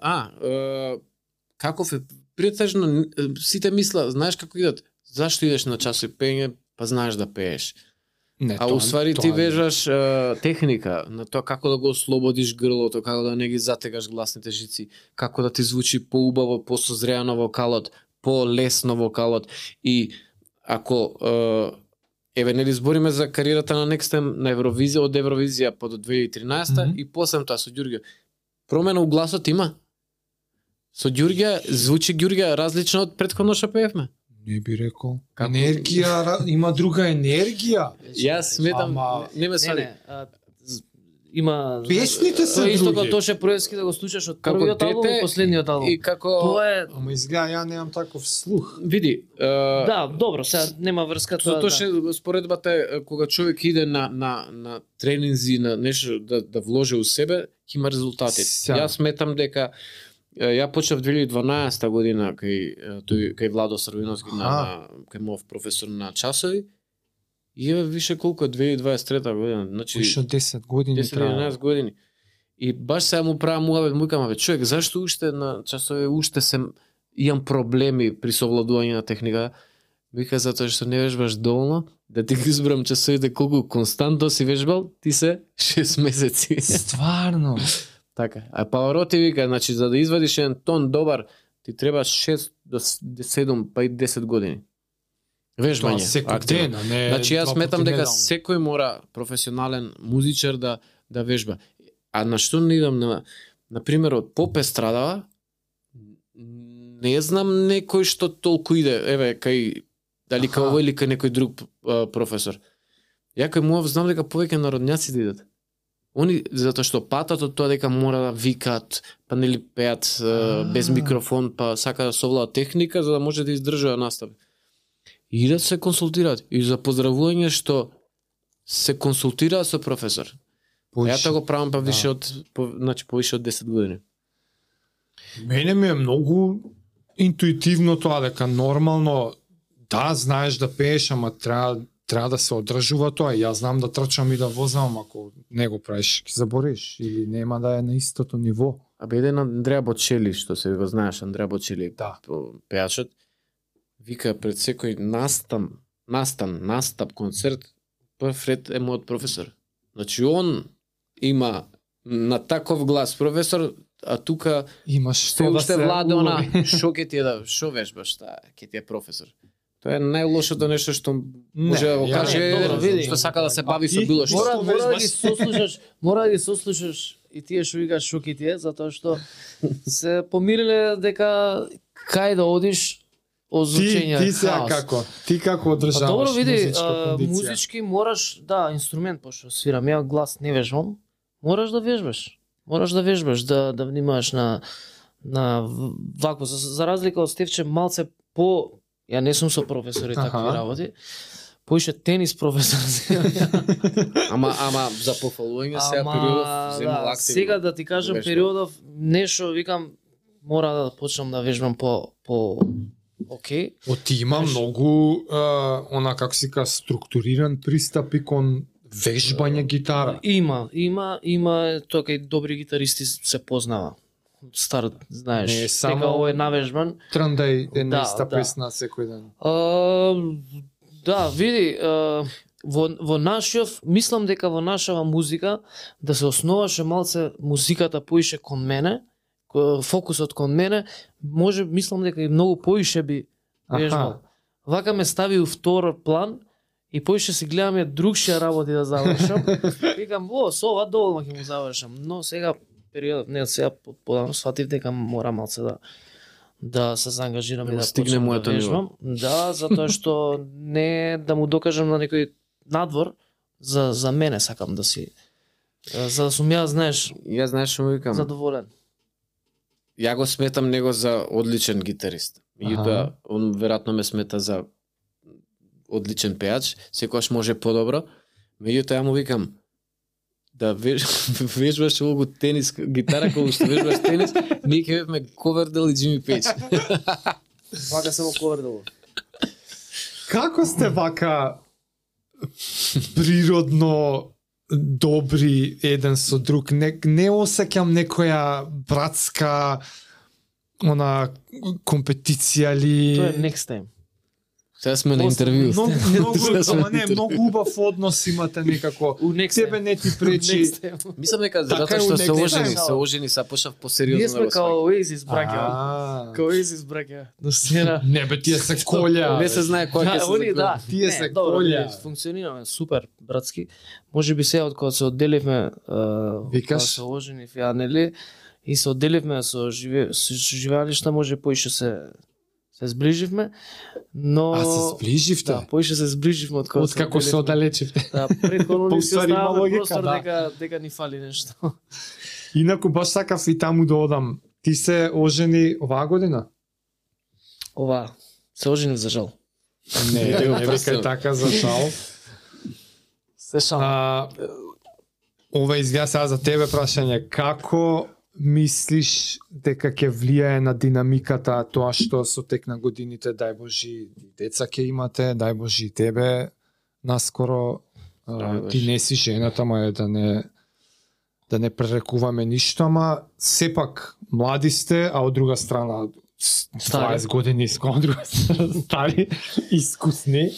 каков е? Претежно сите мисла, знаеш како идат? Зашто идеш на часови пење? Па знаеш да пееш. Не, А уствари ти вежаш техника на тоа како да го ослободиш грлото, како да не ги затегаш гласните жици, како да ти звучи поубаво, посозреано вокалот, полесно вокалот. И ако еве нели збориме за кариерата на Next Time на Евровизија, од Евровизија по до 2013 и после тоа со Ѓурѓе. Промена у гласот има. Со Ѓурѓе звучи Ѓурѓе различно од претходно што пеевме. Не би рекол. Како? Енергија, има друга енергија. Јас сметам, Ама- не ме свади. Има Песните се тоа е исто други. како Тоше Проевски да го слушаш од Како првиот албум дете и последниот албум. И како Тоа е Ама изгледа ја немам таков слух. види, да, добро, сега нема врска тоа. Затоа што споредбата е кога човек иде на тренинзи, на нешто да вложи у себе, ќе има резултати. Сега. Јас сметам дека ја почнав 2012 година кај Владо Србиновски на кај мов професор на часови. И еве више колку е 2023 година, значи Више од 10 години трае. 10-11 години. И баш сега му правам муавет, му викам, човек, зашто уште на часови уште се имам проблеми при совладување на техника? Вика затоа што не вежбаш доволно, да ти ги избрам часовите колку константно си вежбал, ти се 6 месеци. Стварно. Така. А Павароти вика, значи за да извадиш еден тон добар, ти треба 6 до 7 па и 10 години. Тоа Вежбање. секој активно. ден, а не Значи јас два сметам пати дека неделно. секој мора професионален музичар да вежба. А на што не идам на примерот поп естрадава, не знам некој што толку иде, еве кај дали кај овој или кај некој друг професор. Ја кај муав знам дека повеќе народњаци да идат. Они затоа што патат од тоа дека мора да викаат, па нели пеат без микрофон, па сака да совладат техника за да може да издржува настава. И да се консултираат и за поздравување што се консултираат со професор. Ја тоа го правам па више од значи повише од 10 години. Мене ми е многу интуитивно тоа дека нормално да знаеш да пееш, ама треба да се одржува тоа. Јас знам да трчам и да возам, ако не го правиш, ќе забориш или нема да е на истото ниво. А бе еден Андреа Бочели, што се го знаеш, Андреа Бочели, Да. пеачот, вика пред секој настап, концерт, прв ред е мојот професор. Значи он има на таков глас професор, а тука Имаш се што да уште се владе она, улови. шо ќе ти е да, шо вежбаш, ќе ти е професор. Тоа е најлошото нешто што може да го ја каже, не, добро, види. што сака да се бави со ти? било што. Мора да ги сослушаш, и тие што викаш шо ќе ти е, затоа што се помириле дека кај да одиш озвучење Ти сега хаос. како? Ти како одржаваш Па добро види, музичка кондиција? музички мораш, да, инструмент пошто свирам, ја глас не вежбам, мораш да вежбаш. Мораш да вежбаш, да внимаваш на вако, за разлика од Стевче малце по, ја не сум со професори Аха. такви работи, поише тенис професор. Ама за пофалување сега периодов земал активно. Сега да ти кажам вежбам. периодов нешто викам мора да почнам да вежбам по окей. Ти има многу она како си ка структуриран пристап и кон вежбање гитара. Има тоа кај добри гитаристи се познава. Стар, знаеш, Не е само- дека ово е навежбан. Трндај една Да, иста да. песна секој ден. Да, види, во нашиот, мислам дека во нашава музика да се основаше малце музиката поише кон мене, фокусот кон мене, може мислам дека и многу поише би вежбал. Вака ме стави у втор план и поише си гледаме другшија работи да завршам. Викам, со ова доволно ќе му завршам, но сега период, не сега подамно сватив дека мора малце да се заангажирам и да стигне почнам моето да вежбам. Да, затоа што не да му докажам на некој надвор, за мене сакам да си, за да сум ја, знаеш, Ја знаеш што му викам? задоволен. Ја го сметам него за одличен гитарист. Меѓутоа, он веројатно ме смета за одличен пејач, секогаш може подобро. Меѓутоа, ја му викам, да вежбаш овогу тенис гитара, кога што вежбаш тенис, ние ќе бевме Ковердел и Джими Пејдж. Вака се во Ковердел. Како сте вака природно добри еден со друг? Не осеќам некоја братска компетиција ли? Тоа е next time. Сега сме на интервју. Многу убав однос имате некако. У next Тебе time. не ти пречи. Next time. Мислам дека Така затоа е што у се next ожени, се почнав посериозно Ние да сме го као сваќам. Oasis браќа. Као Oasis браќа. На сцена. Не бе, тие се колја. Не се знае кој ќе се Они загледа. да, Тие не, се добро, колја. ние функционираме супер братски. Може би сега од кога се одделивме, Викаш? кога се оженив ја, нели, и се одделивме со живеалишта, може поише се зближивме, но се зближивте? Да, поише се зближивме од кога Откако се одделивме. оддалечивте. Да, претходно Па, ни се уствари, има оставаме логика, простор да. дека ни фали нешто. Инаку баш сакав и таму да одам. Ти се ожени оваа година? Ова, се оженив за жал. Не, Не го не представам. викај така за жал. Се шал. Ова изгледа сега за тебе прашање. Како мислиш дека ќе влијае на динамиката тоа што со тек на годините, дај Божи, деца ќе имате, дај Божи тебе, наскоро ти не си жената, ма е да не пререкуваме ништо, ама сепак млади сте, а од друга страна 20 години од друга страна стари, искусни.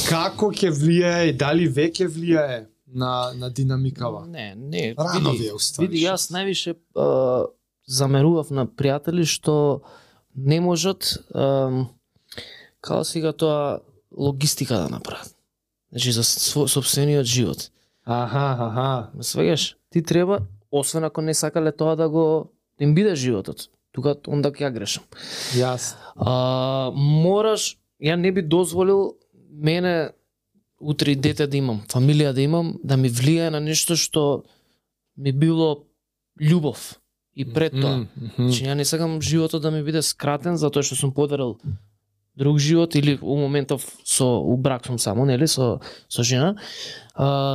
Како ќе влијае и дали веќе влијае на динамикава? Не, Рано ви е уствари. види, јас највише замерував на пријатели што не можат како сега тоа логистика да направат. Значи за сопствениот живот. Аха. Ме сваѓаш? Ти треба, освен ако не сакале тоа да им биде животот. Тука онда ќе ја грешам. Јас. Мораш, ја не би дозволил мене утре дете да имам, фамилија да имам, да ми влијае на нешто што ми било љубов и пред тоа. Значи ја не сакам животот да ми биде скратен затоа што сум подарил друг живот или у моментов у брак сум само, нели, со жена.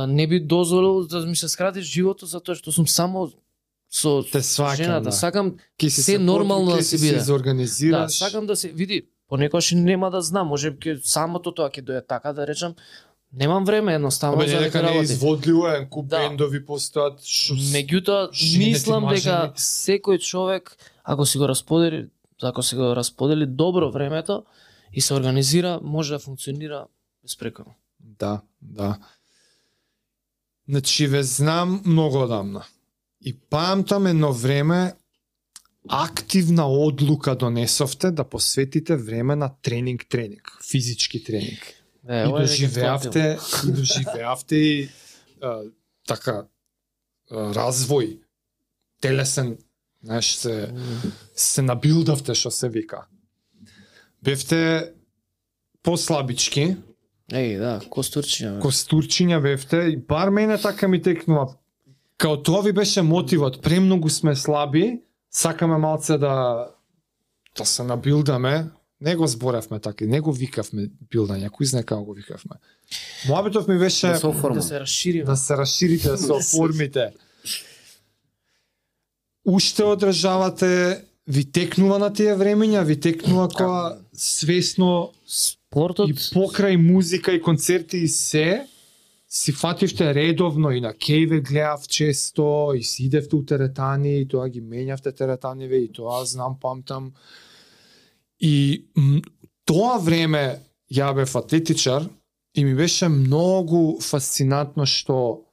Не би дозволил да ми се скрати животот затоа што сум само со Те сваќам, жената. да. Сакам Се се нормално да се биде. Да, изорганизираш. сакам да се види, понекогаш нема да знам, може би самото тоа ќе дојде така да речам. Немам време едноставно Абе, за дека да не е работи. изводливо, куп Да. бендови постојат. Меѓутоа, жените, мислам дека мажени. секој човек, ако си го расподели добро времето и се организира, може да функционира безпрекорно. Да. Значи, ве знам многу одамна. И памтам едно време активна одлука донесовте да посветите време на тренинг, физички тренинг. И доживеавте и така развој телесен, знаеш, се набилдавте, што се вика. Бевте послабички, Да, костурчиња бевте, и бар мене така ми текнува. Као тоа ви беше мотивот, премногу сме слаби, сакаме малце да се набилдаме. Не го зборевме така, не го викавме билдање, кој знае како го викавме. Моабитов ми беше да се расшириме. Да се расширите, да се оформите. Уште одржавате, ви текнува на тие времења, ви текнува кога свесно Спортот и покрај музика и концерти и се, си фативте редовно и на кејве гледав често, и си идевте у теретани, и тоа ги менјавте теретаниве, и тоа знам, памтам. И тоа време ја бев атлетичар и ми беше многу фасцинантно што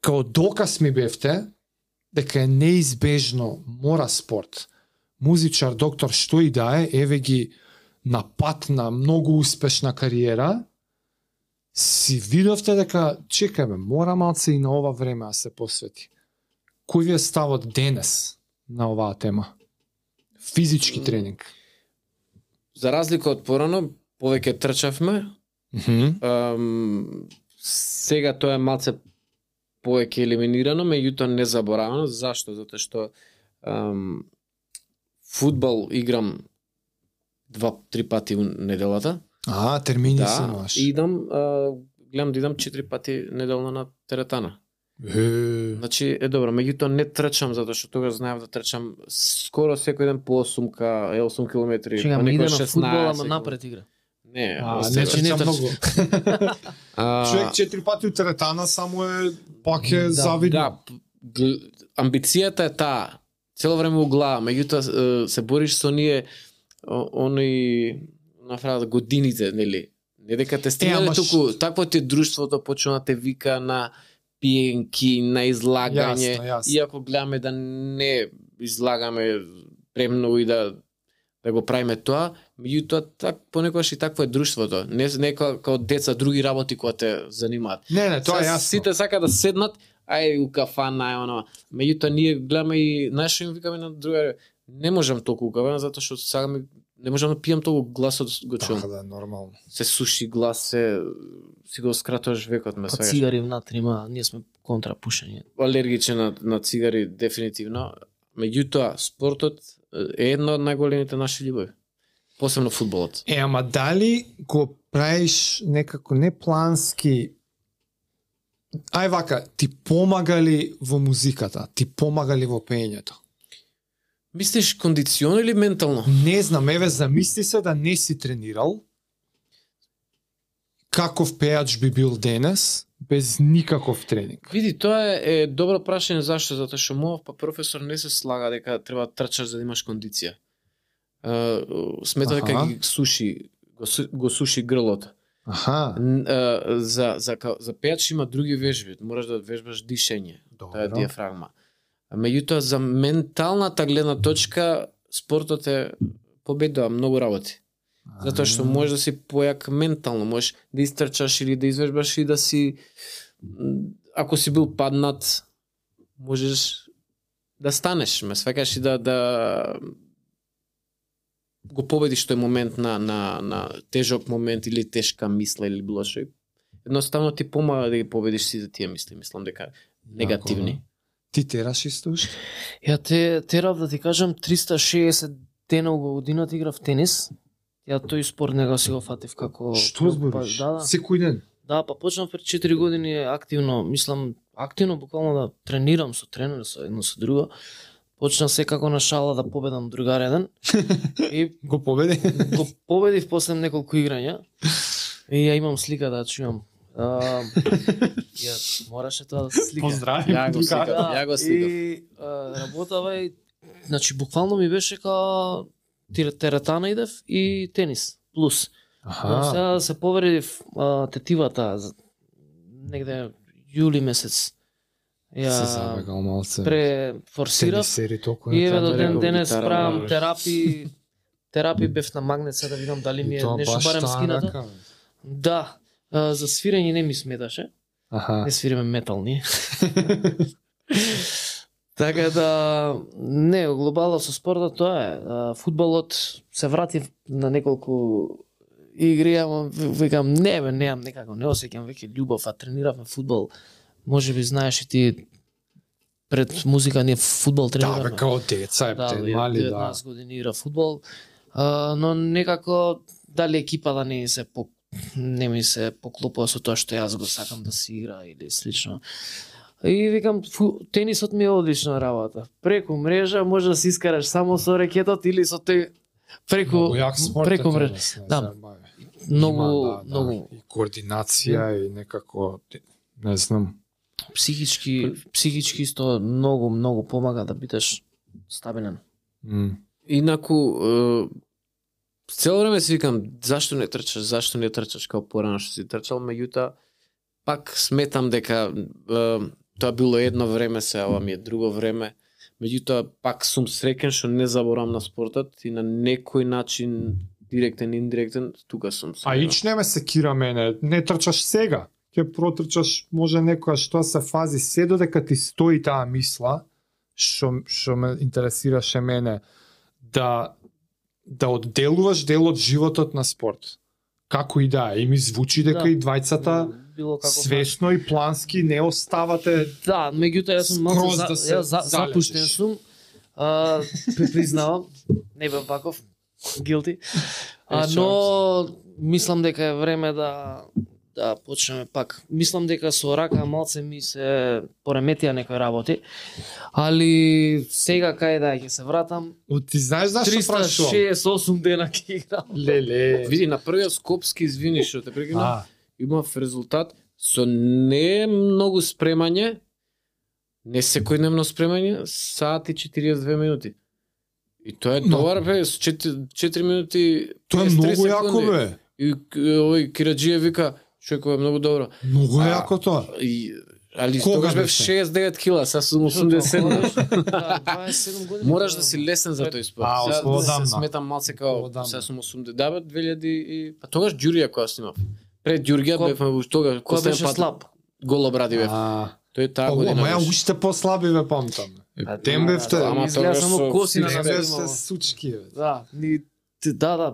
као доказ ми бевте дека е неизбежно, мора спорт. Музичар, доктор, што и да е, еве ги на пат на многу успешна кариера, си видовте дека, чекај бе, мора малце и на ова време да се посвети. Кој ви е ставот денес на оваа тема? Физички тренинг. За разлика од порано, повеќе трчавме. Сега тоа е малце повеќе елиминирано, меѓутоа не заборавано. Зашто? Затоа што фудбал играм 2-3 пати неделата. Термини Да, се имаш. идам, гледам да идам 4 пати неделно на теретана. Значи, добро, меѓутоа не трчам, затоа што тогаш знаев да трчам скоро секој ден по 8 километри, Чекам, па иде некој на фудбал, 16. ама напред игра. Не, Не Значи, не трча трча. многу. Човек 4 пати у теретана само е пак е Да, завидно. да, амбицијата е таа, цело време у глава, меѓутоа се бориш со ние оној нафрала годините, нели? Не дека те стигнале ама туку, такво ти е друштвото, почна да те вика на пиенки, на излагање, Јасно. иако гледаме да не излагаме премногу и да го правиме тоа, меѓутоа понекогаш и такво е друштвото. Не како деца други работи кои те занимаат. Не, тоа е Сега јасно. Сите сака да седнат, ај у кафана, ај оно. Меѓутоа ние гледаме и нашо им викаме на друга, не можам толку у кафана затоа што сакаме, не можам да пијам толку, гласот го чувам. Така да, нормално. Се суши глас, си го скратуваш векот ме Па сваѓаш. цигари внатре има, ние сме контра пушење. Алергичен на цигари дефинитивно. Меѓутоа спортот е една од најголемите наши љубови. Посебно фудбалот. Ама дали го правиш некако неплански, ај вака, ти помага ли во музиката, ти помага ли во пеењето? Мислиш кондициони или ментално? Не знам, еве замисли се да не си тренирал, каков пејач би бил денес, без никаков тренинг? Види, тоа е добро прашање зашто, затоа што мојот професор не се слага дека треба да трчаш за да имаш кондиција. Смета дека Аха. ги суши, го суши грлото. Аха, За пејач има други вежби, мораш да вежбаш дишење, таа е добро. диафрагма. Меѓутоа за менталната гледна точка спортот е победува многу работи. Затоа што можеш да си појак ментално, можеш да истрчаш или да извежбаш и да си, ако си бил паднат, можеш да станеш, ме сваќаш и да го победиш тој момент на тежок момент или тешка мисла или било што. Едноставно ти помага да ги победиш сите тие мисли, мислам дека негативни. Ти тераш исто уште? Ја терав да ти кажам 360 дена во годината играв тенис. Ја тој спорт не го си го фатив како Што збориш? Да, Секој ден? да, па почнав пред 4 години активно, мислам, активно буквално да тренирам со тренер, со едно со друго. Почнав секако на шала да победам другар еден. И Го победи? го победив после неколку играња. И ја имам слика да чувам. Ја мораше тоа да се слика. Поздрави. Ја го сликав, ја го сликав. И работава и значи буквално ми беше као теретана идев и тенис плюс. Но сега да се повредив тетивата негде јули месец. Се забегал малце. Префорсирав Тенисери толку и еве не до треба. ден денес гитара, правам да. терапи бев на магнет сега да видам дали ми е Тоа нешто баш барем таа скината. рака, бе. Да, за свирење не ми сметаше. Аха. Не свириме метал ние. Така да, не, глобално со спортот тоа е. Фудбалот се вратив на неколку игри, ама викам, не бе, немам некако, не осеќам веќе љубов, а трениравме фудбал. Може би знаеш и ти пред музика ние фудбал Да, трениравме. бе, као деца, Да, те мали, да. 19 години игра фудбал, но некако дали екипата не ми се поклопува со тоа што јас го сакам да си игра или слично. И викам, тенисот ми е одлична работа. Преку мрежа може да си искараш само со рекетот или со тој Многу јак спорт е преку мрежа. тенис, не Да, заебавај. Многу, Има, многу И координација и некако, не знам. психички исто многу помага да бидеш стабилен. Инаку, цело време си викам, зашто не трчаш као порано што си трчал, меѓутоа, пак сметам дека тоа било едно време, се ова ми е друго време. Меѓутоа пак сум среќен што не заборам на спортот и на некој начин директен, индиректен, тука сум. А ич не ме секира мене, не трчаш сега. Ќе протрчаш може некоја што се фази се додека ти стои таа мисла, што ме интересираше мене, да одделуваш дел од животот на спорт. Како и да е, и ми звучи дека Да. и двајцата Било како свесно и плански не оставате. Да, меѓутоа јас сум малку Скроз да се запуштен залежиш. сум. Признавам, не бев ваков, guilty. Но мислам дека е време да почнеме пак. Мислам дека со рака малце ми се пореметија некои работи, али сега кај да ќе се вратам. Ти знаеш зашто прашувам? 368 дена ќе играм. Леле. Види, на првиот скопски, извини што те прекинав, А, имав резултат со не многу спремање, не секојдневно спремање, сат и 42 минути. И тоа е Но. добар, бе, со 4 минути... тоа е 53 многу јако, секунди. бе. И овој Кираџиев вика, човекот е многу добро. Многу А, јако тоа. Али Кога тогаш бев беше? 69 кила, сега сум 87. Да, 27 години. Мораш да си лесен за тој спорт. А, Сега одамна. се сметам малце као, Одамна. сега сум 80, да бе, 2000 и... Па тогаш Ѓурија која снимав. Пред Ѓурѓа Ко- бевме уж тога, Кој последен беше пат слаб? голо бради бев. Тој таа година Ама ја беше. уште послаби ве памтам. Тем бевте. Ама изгледа тогаш само со- коси на Тем нас бевте имало. сучки, бе. Да, да,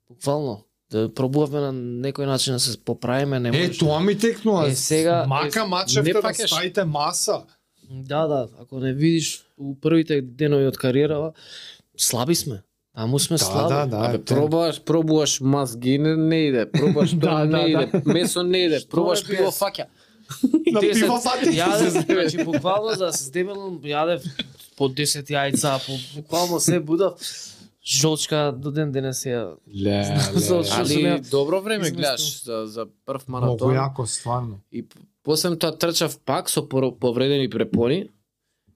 буквално. Да пробувавме на некој начин да се поправиме, не може. Тоа ми текнува. сега- Мака не мачевте да пакеш. ставите маса. Да, ако не видиш у првите денови од кариерава, слаби сме. Таму сме слаби. Абе, пробуваш мазги, не иде. Пробуваш Да, тоа, да, не иде. Месо не иде. Пробуваш бе, пиво без? фаќа. На Десет- пиво фати. Јадев, значи буквално за да се здебелам, јадев по 10 јајца, по буквално се будав. Жолчка до ден денес ја. Што сум Али ја добро време изместил. гледаш за прв Многу маратон. јако, стварно. И после тоа трчав пак со повредени препони.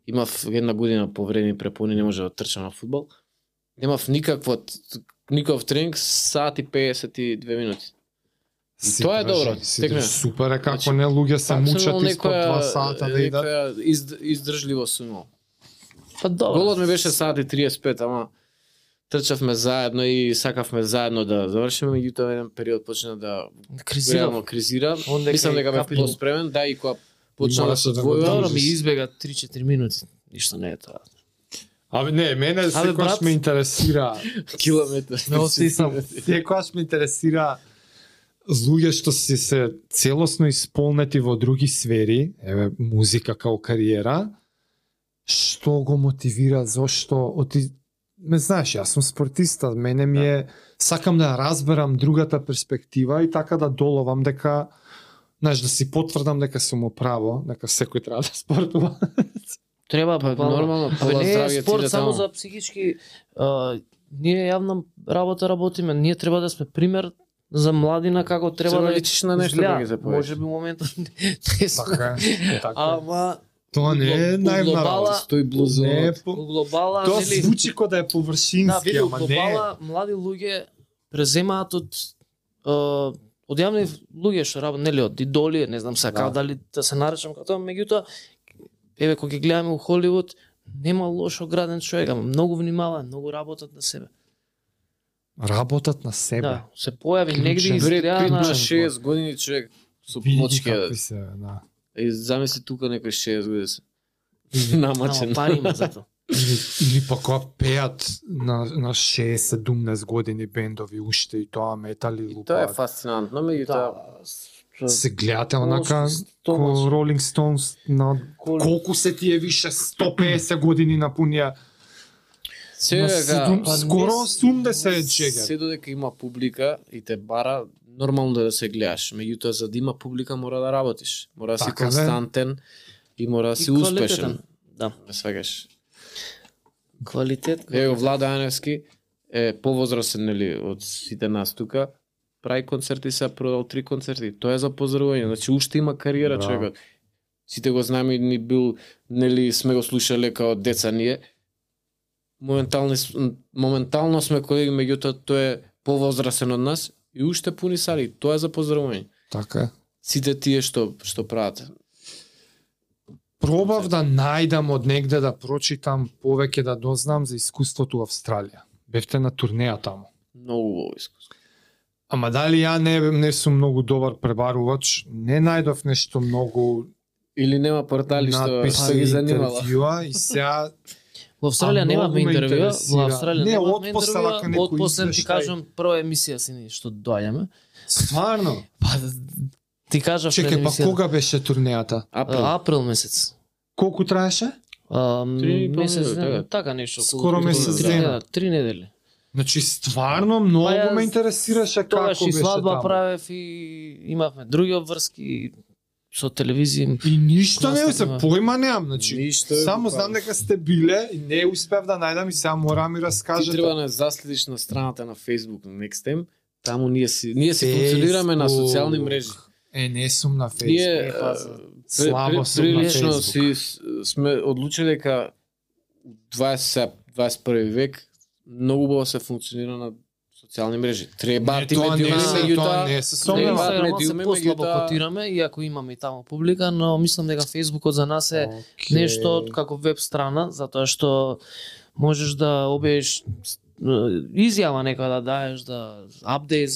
Имав една година повредени препони, не може да трчам на фудбал. Немав никаков тренинг, сат и 52 минути. Тоа е добро, текне. Супер е како Значи, не луѓе се Пак сум мучат имал испод 2 сата да идат. некоја издржливост сум имал. Па добро. Голот ми беше сат и 35, ама трчавме заедно и сакавме заедно да завршиме, меѓутоа еден период почна да реално кризира. Ондека Мислам и дека бев капи- поспремен, да, и кога почна да Мораше се да го двојува, Добро држиш. ми избега 3-4 минути. Ништо не е тоа. Абе не, мене секогаш брат. ме интересира. километар. Не остисам. Секогаш ме интересира луѓе што си се целосно исполнети во други сфери, еве музика као кариера, што го мотивира, зошто, ме знаеш, јас сум спортиста, мене ми е, сакам да разберам другата перспектива и така да доловам дека, знаеш, да си потврдам дека сум управо, дека секој треба да спортува. Треба Па, буквално. нормално, Абе, пола не е здравје ти спорт да само таму. за психички. Ние јавна работа работиме. Ние треба да сме пример за младина како треба Треба да личиш на нешто изгледа. да ги запоеш. Може би моментот не сме. Така е, така е. Ама Тоа не е у наивна глобала- работа. Стои блузо. Не е у по... глобала, Тоа нели? звучи ко да е површински, Да, види, у ама не е. глобала млади луѓе преземаат од јавни луѓе што работат, нели, од идоли, не знам сега Да. дали да се наречам како тоа, меѓутоа еве кога ги гледаме у Холивуд, нема лошо граден човек, ама многу внимава, многу работат на себе. Работат на себе. Да, се појави Клучен. негде Бред изгледа Пит на на 6 години човек со Види плочки. какви се, да. И замисли тука некој 6 години се. Ама Намачен. пари има за тоа. Или па кога пеат на 6-17 години бендови уште и тоа метали И тоа е лупаат. фасцинантно, меѓутоа Се гледате онака ко Томас. Rolling Stones на колку се тие више 150 години напунија се на дека па скоро не 80 се чега. додека има публика и те бара, нормално да се гледаш. Меѓутоа за да има публика мора да работиш. Мора да си Така, бе. константен и мора да И си успешен. квалитетен. Да, Да свегаш. квалитет. Ево Влада Аневски е повозрасен нели од сите нас тука. Прави концерти, се продал 3 концерти. Тоа е за поздравување. Значи уште има кариера Да. човекот. Сите го знаеме, ни бил, нели сме го слушале као деца ние. Моментално сме колеги, меѓутоа тој е повозрасен од нас и уште пуни сали. Тоа е за поздравување. Така е. Сите тие што прават. Пробав да најдам од негде да прочитам повеќе да дознам за искуството во Австралија. Бевте на турнеја таму. Многу убаво искуство. Ама дали ја не сум многу добар пребарувач, не најдов нешто многу Или нема портали што надписи, ги занимала. интервјуа и сега Во Австралија немавме многу ме интервјуа, интересира. во Австралија Не, немавме отпосле, ако интервјуа, некој отпосле ти извештај. кажам прва емисија си што доаѓаме. стварно. Па ти кажав пред Чекај, па емисијата. кога беше турнејата? Април месец. Колку траеше? Месец, недели, така нешто. Скоро месец дена. 3 недели. Значи стварно многу Па ја ме интересираше Тогаш како и беше свадба таму. правев и имавме други обврски со телевизија. И ништо не се Наставува. појма немам, значи. Ништо, Само па. знам дека сте биле и не успев да најдам и сега мора ми Ти раскажете. треба да заследиш на страната на Facebook на Nextem. Таму ние си функционираме на социјални мрежи. Не сум на Facebook. Ние слабо сум на прилично Facebook. сме одлучили дека у 21 век многу убаво се функционира на социјални мрежи. Треба Не, ти тоа не медиуми, се, меѓутоа тоа не се На сомневам. Инстаграмот се медиуми, послабо меѓутоа- котираме, иако имаме и таму публика, но мислам дека Фејсбукот за нас е нешто како веб страна, затоа што можеш да објавиш изјава некоја да даеш, да апдејт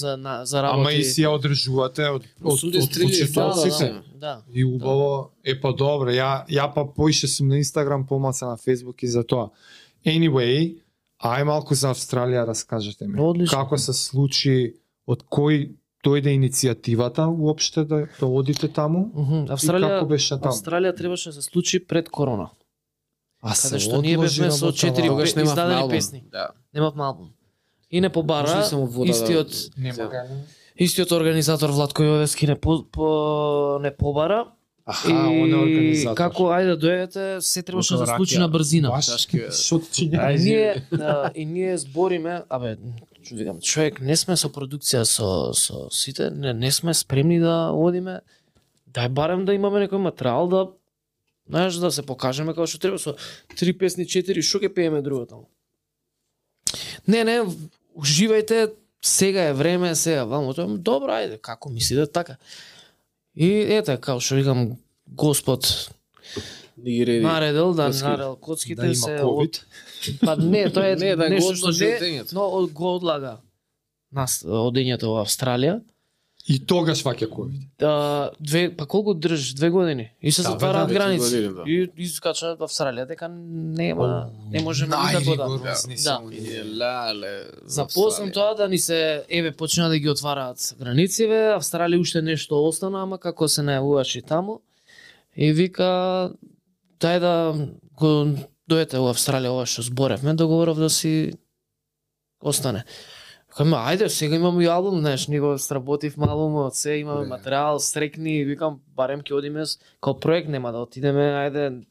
за работи. Ама и си ја одржувате од Суди стрели, почитоците. Да. И убаво, па добро, ја па поише сум на Инстаграм, помалку на Фејсбук и за тоа. Anyway, ај малку за Австралија раскажете ми. Одлично. Како се случи, од кој дојде иницијативата уопште да одите таму? И како беше таму? Австралија требаше да се случи пред корона. А Каде што ние бевме со 4 Тогаш немав издадени албум. песни. Да. Немав албум. И не Може побара ли само вода истиот истиот организатор Владко Јовевски не побара. Аха, он е организатор. Како ајде дојдете, се требаше да Како се случи ракија. на брзина. Чашки, бе. Шотчиња. И ние збориме, викам, човек, не сме со продукција со сите, не сме спремни да одиме. Дај барем да имаме некој материјал да знаеш да се покажеме како што треба со 3 песни, 4, што ќе пееме друго таму. Не, уживајте, сега е време, сега ваму тоа. Добро, ајде, како мислите така. И ете, како што викам, Господ Не ги реди. наредил да коцки. наредил коцките Да има се COVID. Па не, тоа е Не, да го нешто што одложи не, одењето. но го одлага нас одењето во Австралија. И тогаш ваќе COVID. Па колку држиш? 2 години. И се Да, затвараат бе, да, граници. години, да. И искача во Австралија дека нема, не можеме никако да. Најригорозни Да. се И оние. лале. Запознам тоа да ни се почна да ги отвараат границиве, Австралија уште нешто остана, ама како се најавуваше таму. И вика дај да го дојдете во Австралија ова што зборевме, договоров да си остане. Викам, ајде, сега имаме и албум, знаеш, ние го сработивме албумот, се имаме Не. материјал, срекни, викам, барем ќе одиме као проект, нема да отидеме, ајде,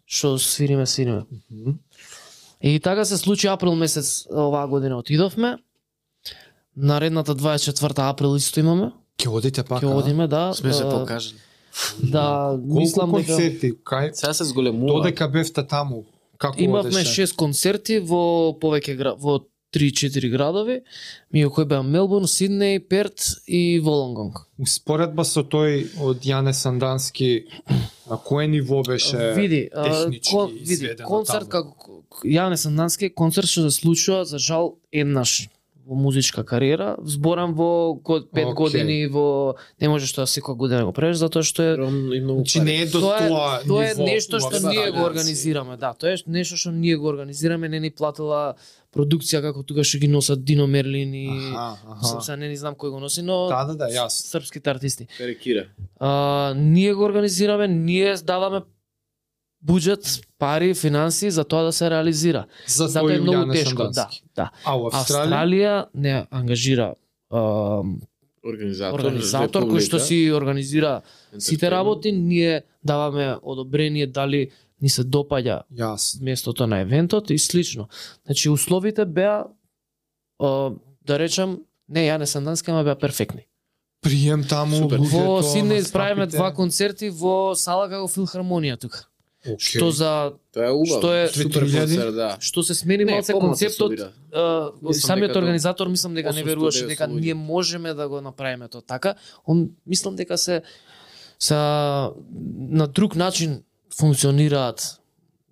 што свириме. И така се случи април месец оваа година отидовме. Наредната 24 април исто имаме. Ќе одите пак, Ќе одиме, да. Сме се а, покажали. Да, Колку мислам дека концерти, кај Сега се зголемува. додека бевте таму, како имавме одеше? 6 концерти во повеќе во 3-4 градови, меѓу кои беа Мелбурн, Сиднеј, Перт и Волонгонг. Успоредба со тој од Јане Сандански, на кое ниво беше Види, технички изведено концерт таму? како Јане Сандански концерт што се случува за жал еднаш во музичка кариера, зборам во 5 Океј. години во не можеш тоа секоја година го правиш затоа што е И многу Значи не е до тоа тоа тоа е ниво нешто у што Австралија. ние го организираме, да, тоа е нешто што ние го организираме, не ни платила продукција како тука што ги носат Дино Мерлин и Аха. сега не знам кој го носи, но Да, јасно. српските артисти. Перекира. Ние го организираме, ние даваме буџет, пари, финанси за тоа да се реализира. За Затоа е тој многу Јане тешко, да, Сандански. да. А у Австралија? Австралија не ангажира Организатор. организатор кој што си организира сите работи, ние даваме одобрение дали ни се допаѓа Јасно. местото на евентот и слично. Значи условите беа да речам, не Јане Сандански, ама беа перфектни. Прием таму, Супер. луѓето, Во Сиднеј настапите. правиме 2 концерти во сала како Филхармонија тука. Океј. Што за Тоа е убаво. Што е- супер 3000? концерт, да. што се смени Не, малце помалку се концептот, собира. Мислам самиот дека организатор мислам дека не 800 веруваше дека луѓе. ние можеме да го направиме тоа така. Он мислам дека се на друг начин функционираат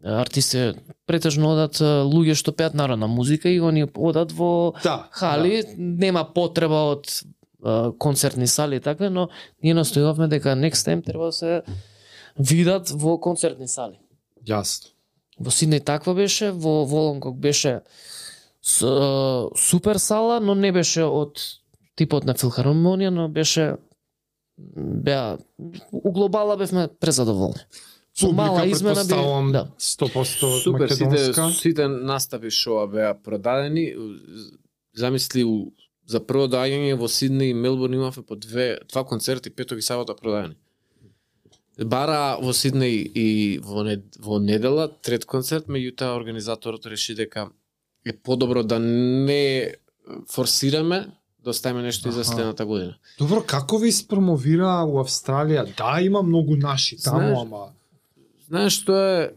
артисти, претежно одат луѓе што пеат народна музика и они одат во хали, нема потреба од концертни сали и така, но ние настојувавме дека next time треба да се видат во концертни сали. Јасно. Во Сиднеј таква беше, во Волонгок беше супер сала, но не беше од типот на филхармонија, но беа у глобала бевме презадоволни. Со мала измена би, да. 100% Супер, македонска. сите настави шоа беа продадени. Замисли за прво доаѓање во Сиднеј и Мелбурн имавме по два концерти петок и сабота продадени. Бара во Сиднеј и во недела трет концерт, меѓутоа организаторот реши дека е подобро да не форсираме, да оставиме нешто и за следната година. Добро, како ви спромовира у Австралија? Да, има многу наши таму, ама Знаеш што е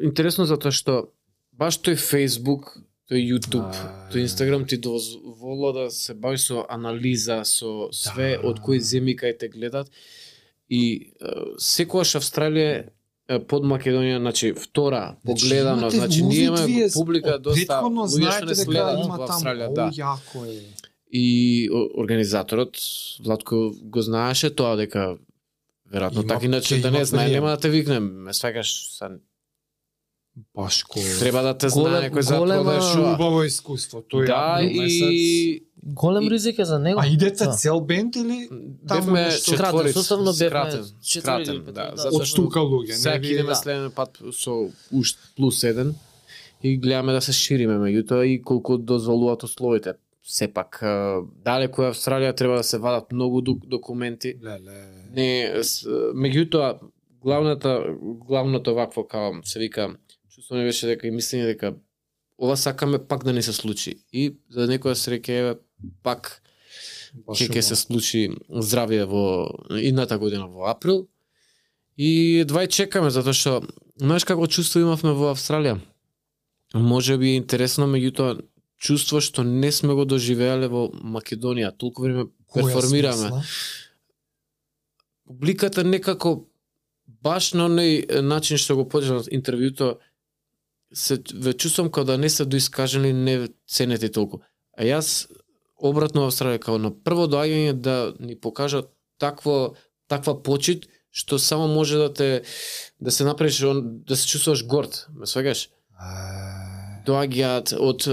интересно затоа што баш тој Facebook, тој YouTube, тој Instagram ти дозвола да се бавиш со анализа, со све од кои земји кај те гледат и секогаш Австралија под Македонија, значи втора погледано, значи ние имаме публика доста луѓе што не следат во Австралија, да. Јако е. И организаторот Владко го знаеше тоа дека веројатно така иначе да не знае, нема да те викнем, ме сваќаш Башко. Треба да те знае некој за тоа да е шоа. Убаво искуство, тој Да, и голем ризик е за него. А идете цел бенд или бевме четворица, составно бевме скратен, да, затоа од тука луѓе, сега не идеме следен пат со ушт плюс 1 и гледаме да се шириме, меѓутоа и колку дозволуваат условите. Сепак далеку е Австралија, треба да се вадат многу документи. Не, меѓутоа главното вакво као се вика, чувствуваме беше дека и мислење дека ова сакаме пак да не се случи. И за некоја среќа пак ќе се случи здравје во идната година во април. И едва чекаме затоа што знаеш како чувство имавме во Австралија. Може би е интересно, меѓутоа чувство што не сме го доживеале во Македонија. Толку време перформираме. Публиката некако баш на оној начин што го почнав интервјуто се ве чувствам како да не се доискажени, не ценете толку. А јас обратно во Австралија како на прво доаѓање да ни покажат таква почит што само може да се направиш, да се чувствуваш горд, ме сваќаш? Доаѓаат од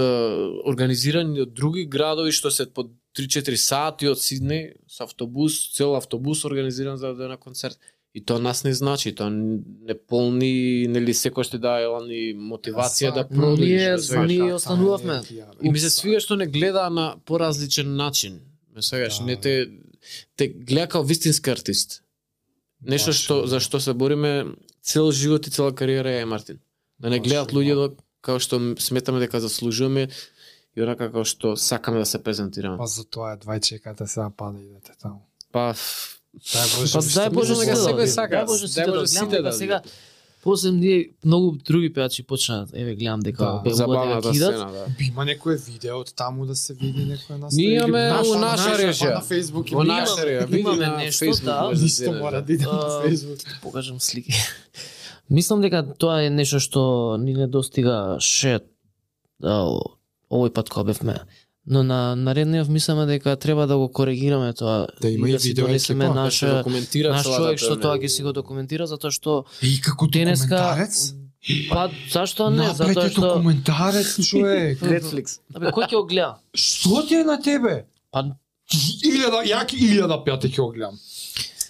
организирани од други градови што се по 3-4 сати од Сиднеј со автобус, цел автобус организиран за да на концерт. И тоа нас не значи, тоа не полни, нели секој што дава ни мотивација да продолжиш. Ние останувавме. И ми се свига што не гледа на поразличен начин. Ме свегаш, не те гледа како вистински артист. Нешто што за што се бориме цел живот и цела кариера е Мартин. Да не гледат луѓе како што сметаме дека заслужуваме и онака како што сакаме да се презентираме. Па за тоа едва чекате сега па да идете таму. Па дај Боже дека секој сака. Дај Боже сите да сега. После ние многу други пеачи почнаа, еве гледам дека забавната сцена, да. Има некое видео од таму да се види некој нас. Ние имаме во наша режија. На Facebook Во наша режија. Имаме нешто, да. Исто мора да иде на Facebook. Покажам слики. Мислам дека тоа е нешто што ни недостигаше овој пат кога бевме. Но на наредниот мислиме дека треба да го коригираме тоа. Да има и видео екипа, наш човек што тоа ќе си го документира затоа што и како документарец? Па зашто не? Затоа што документарец човек. Netflix. Абе кој ќе го гледа? Што ти е на тебе? Па 1000 пати ќе го гледам.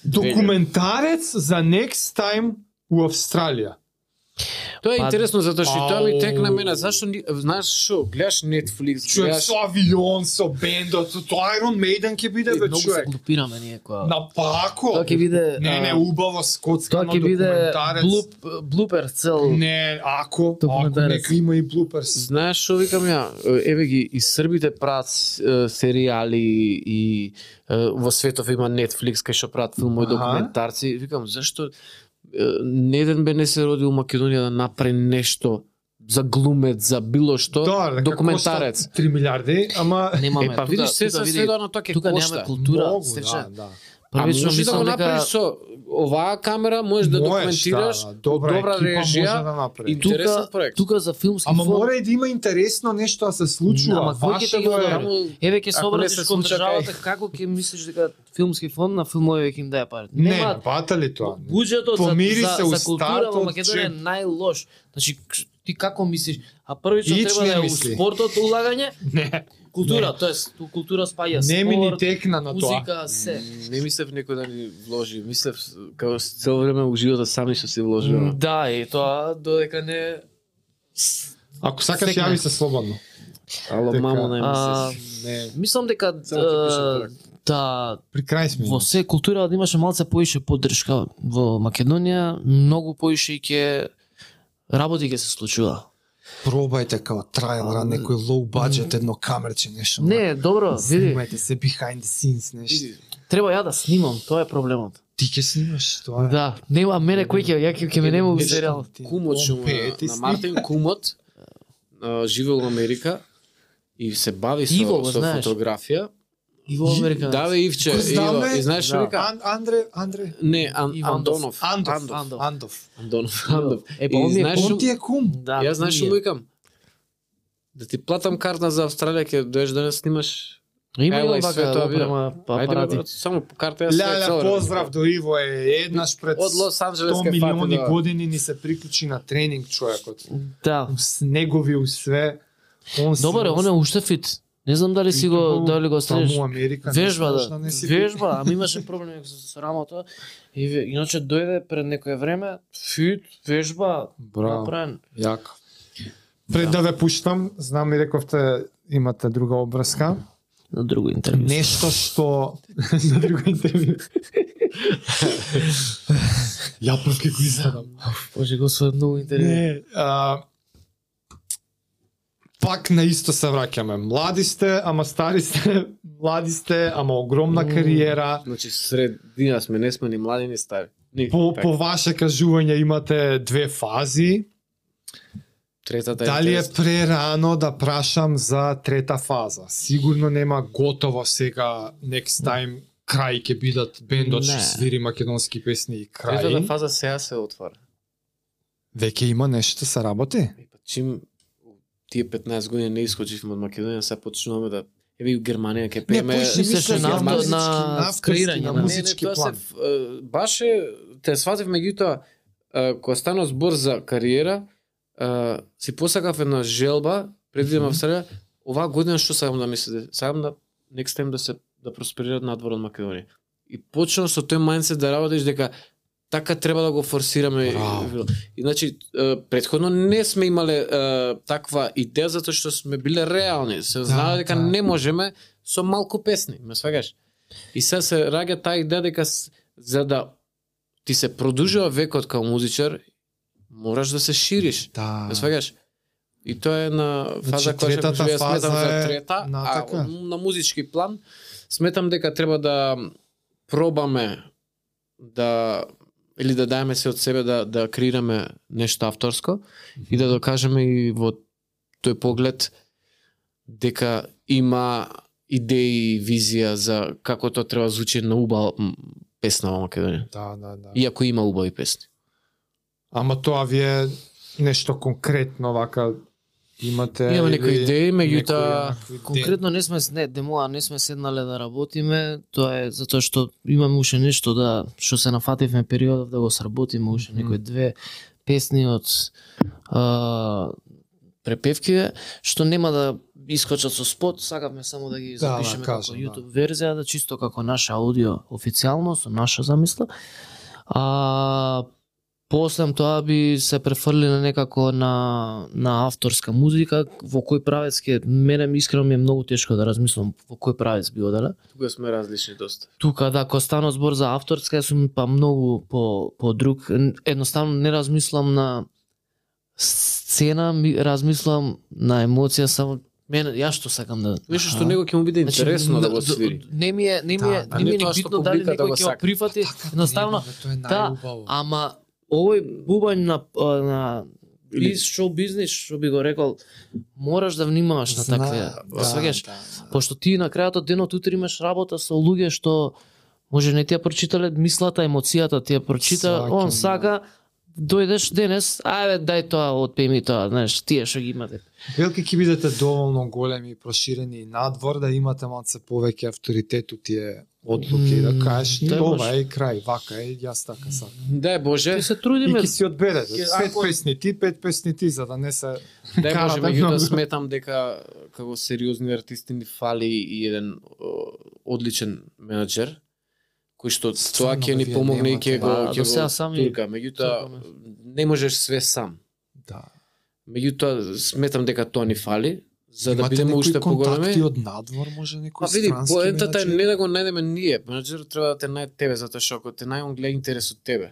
Документарец за next time у Австралија. Тоа е интересно затоа што тоа ми текна мене, зашто знаеш што, гледаш Netflix, гледаш со авион, со бендот, со Iron Maiden ќе биде бе многу се човек. глупираме ние која. Напако. Тоа ќе биде Не, убаво скоцкано тоа ќе биде документарец. блупер цел. Не, ако Документарец. нека има и блуперс. Знаеш што викам ја? Еве ги и србите прават серијали и во светов има Netflix кај што прават филмови, документарци. Викам зашто не еден бе не се роди у Македонија да направи нешто за глумец, за било што, Да, документарец. 3 милиарди, ама Немаме. Па видиш се сведено тоа ќе тука кошта. немаме култура, многу, сече. да. Првично може да го мислам направиш дека со оваа камера, можеш да документираш, добра екипа режија, може да направи. интересен проект. тука за филмски Ама фон. мора и да има интересно нешто да се случува. Ама кој ќе Ваше ти го е- даде? Еве ќе се Ако не обратиш се кон случа државата, како ќе мислиш дека филмски фонд на филмови ќе им даде пари? Не, бата ли тоа? Буџетот Помири за, се за, у за култура стартот, во Македонија е че- најлош. Значи ти како мислиш? А првично Ич треба не да е у мисли. спортот улагање, Не. култура, Не. тоест ту култура спаја Не ми ни спорт, текна на тоа. музика, се. Не мислев некој да ни вложи, мислев како цело време у животот сами што се вложува. Да, и тоа додека не Ако сакаш Стекне. јави се слободно. Ало Така. мамо не А, мислиш. Не, мислам дека Само ќе пишам проект. да при крај сме. во се култура да имаше малце поише поддршка во Македонија, многу поише и ќе работи ќе се случува. Пробајте као трајлера, некој low budget, едно камерче, нешто. Не, добро, види, Снимајте се behind the scenes, нешто. треба ја да снимам, тоа е проблемот. Ти ќе снимаш, тоа е. Да, нема мене кој ќе ќе ме нема у Нешто серијал. ти- Кумот што он му пее, на, ти на сни- Мартин Кумот живе во Америка и се бави со, Иво го со знаеш. фотографија. И во Америка. Да бе Ивче, Кој знам, Иво, бе? и знаеш што Да. вика? Андре, Не, Ивандов. Андонов. Андов. Андонов. Е, па И он ми е знаеш Он што- ти е кум. Да, Јас знаеш што ние. му викам? Да ти платам карта за Австралија, ќе доеш да не снимаш. Има Ела и и све вака тоа опрема Ајде, апарати. брат, само по карта ја све Леле, цело. поздрав до Иво е еднаш пред Од Лос Анџелес 100 ке милиони фати, да. години ни се приклучи на тренинг човекот. Да. У негови у све. Он Добре, он е уште фит. Не знам дали си го дали го следиш. Таму Америка. не Вежба знаеш да. не си Вежба, ами имаше проблеми со рамото. И иначе дојде пред некое време, фит, вежба, Браво. направен. Јако. Пред да ве пуштам, знам и рековте имате друга обврска. На друго интервју. Нешто што на друго интервју. Ја првке го изгледам. Боже Господи, многу интервју. Не, пак на исто се враќаме. Млади сте, ама стари сте, млади сте, ама огромна кариера. Значи средина сме, не сме ни млади ни стари. Ни, така. По ваше кажување имате две фази. Третата Дали е интересна. прерано да прашам за трета фаза? Сигурно нема готово сега next time крај ќе бидат бендот што Не. свири македонски песни и Третата крај. фаза сега се отвара. Веќе има нешто се работи? И па чим тие 15 години не искочивме од Македонија, сега почнуваме да еве и у Германија ќе пееме. мислеше на германски, на креирање, на на музички тоа план. баш те сватив меѓутоа кога стана збор за кариера, си посакав една желба пред да идам в Австралија, оваа година што сакам да мислите, сакам да next time да просперират надвор од Македонија. И почнав со тој мајндсет да работиш дека така треба да го форсираме. Браво. И значи претходно не сме имале таква идеја затоа што сме биле реални. Се знае дека да. не можеме со малку песни, ме сваѓаш. И сега се раѓа таа идеја дека за да ти се продолжува векот као музичар, мораш да се шириш. Да. Ме сваѓаш. И тоа е на фаза Значи, која третата што ја сметам фаза за е трета, натака. а на музички план сметам дека треба да пробаме да или да даеме се од себе да креираме нешто авторско и да докажеме и во тој поглед дека има идеи и визија за како тоа треба да звучи на убава песна во Македонија. Да. Иако има убави песни. Ама тоа ви е нешто конкретно вака имате Имаме некои или идеи, меѓутоа некои Конкретно не сме демоа, не сме седнале да работиме, тоа е затоа што имаме уште нешто да што се нафативме периодов да го сработиме уште некои две песни од препевки што нема да искочат со спот, сакавме само да ги Да, запишеме кажам, како YouTube верзија, да чисто како наша аудио официјално со наша замисла. После тоа би се префрлиле некако на авторска музика, во кој правец ќе мене искрено ми е многу тешко да размислам во кој правец би оделе. тука сме различни доста. Тука да, кога стана збор за авторска, сум па многу по друг, едноставно не размислам на сцена, размислам на емоција, само мене јас што сакам да. Нешто што него ќе му биде интересно да го свири. Не ми е Да, не ми е тоа ни што битно дали публиката некој го ќе го сака. прифати, едноставно Тоа е да, најубаво. ама овој бубањ на шоу бизнис, што би го рекол, мораш да внимаваш на такве. Сваѓаш, пошто ти на крајот од денот утре имаш работа со луѓе што може не ти ја прочитале мислата, емоцијата, ти ја прочита, Сваќам, он да. сака, дојдеш денес, ајде дај тоа, отпеј ми тоа, знаеш, тие што ги имате. Велики ќе бидете доволно големи и проширени и надвор да имате малце повеќе авторитет у тие одлуки, да кажеш, Дај ова Боже. е крај, вака е, јас така сакам. Дај Боже, Ти се И трудиме. ќе си одберете, Ќе- 5 песни ти, 5 песни ти, за да не се дај Боже, карате меѓутоа многу. сметам дека како сериозни артисти ни фали и еден одличен менаџер кој што тоа Стварно, ќе ни вие помогне и немате. ќе го Па, ќе до сега го сами турка. Меѓутоа сакаме. не можеш све сам. Да. Меѓутоа сметам дека тоа ни фали за да Имате бидеме некои уште поголеми. контакти од надвор, може некој Па види, странски поентата е менаџер? не да го најдеме ние, менаџерот треба да те најде тебе затоа што ако те најде он гледа интерес од тебе.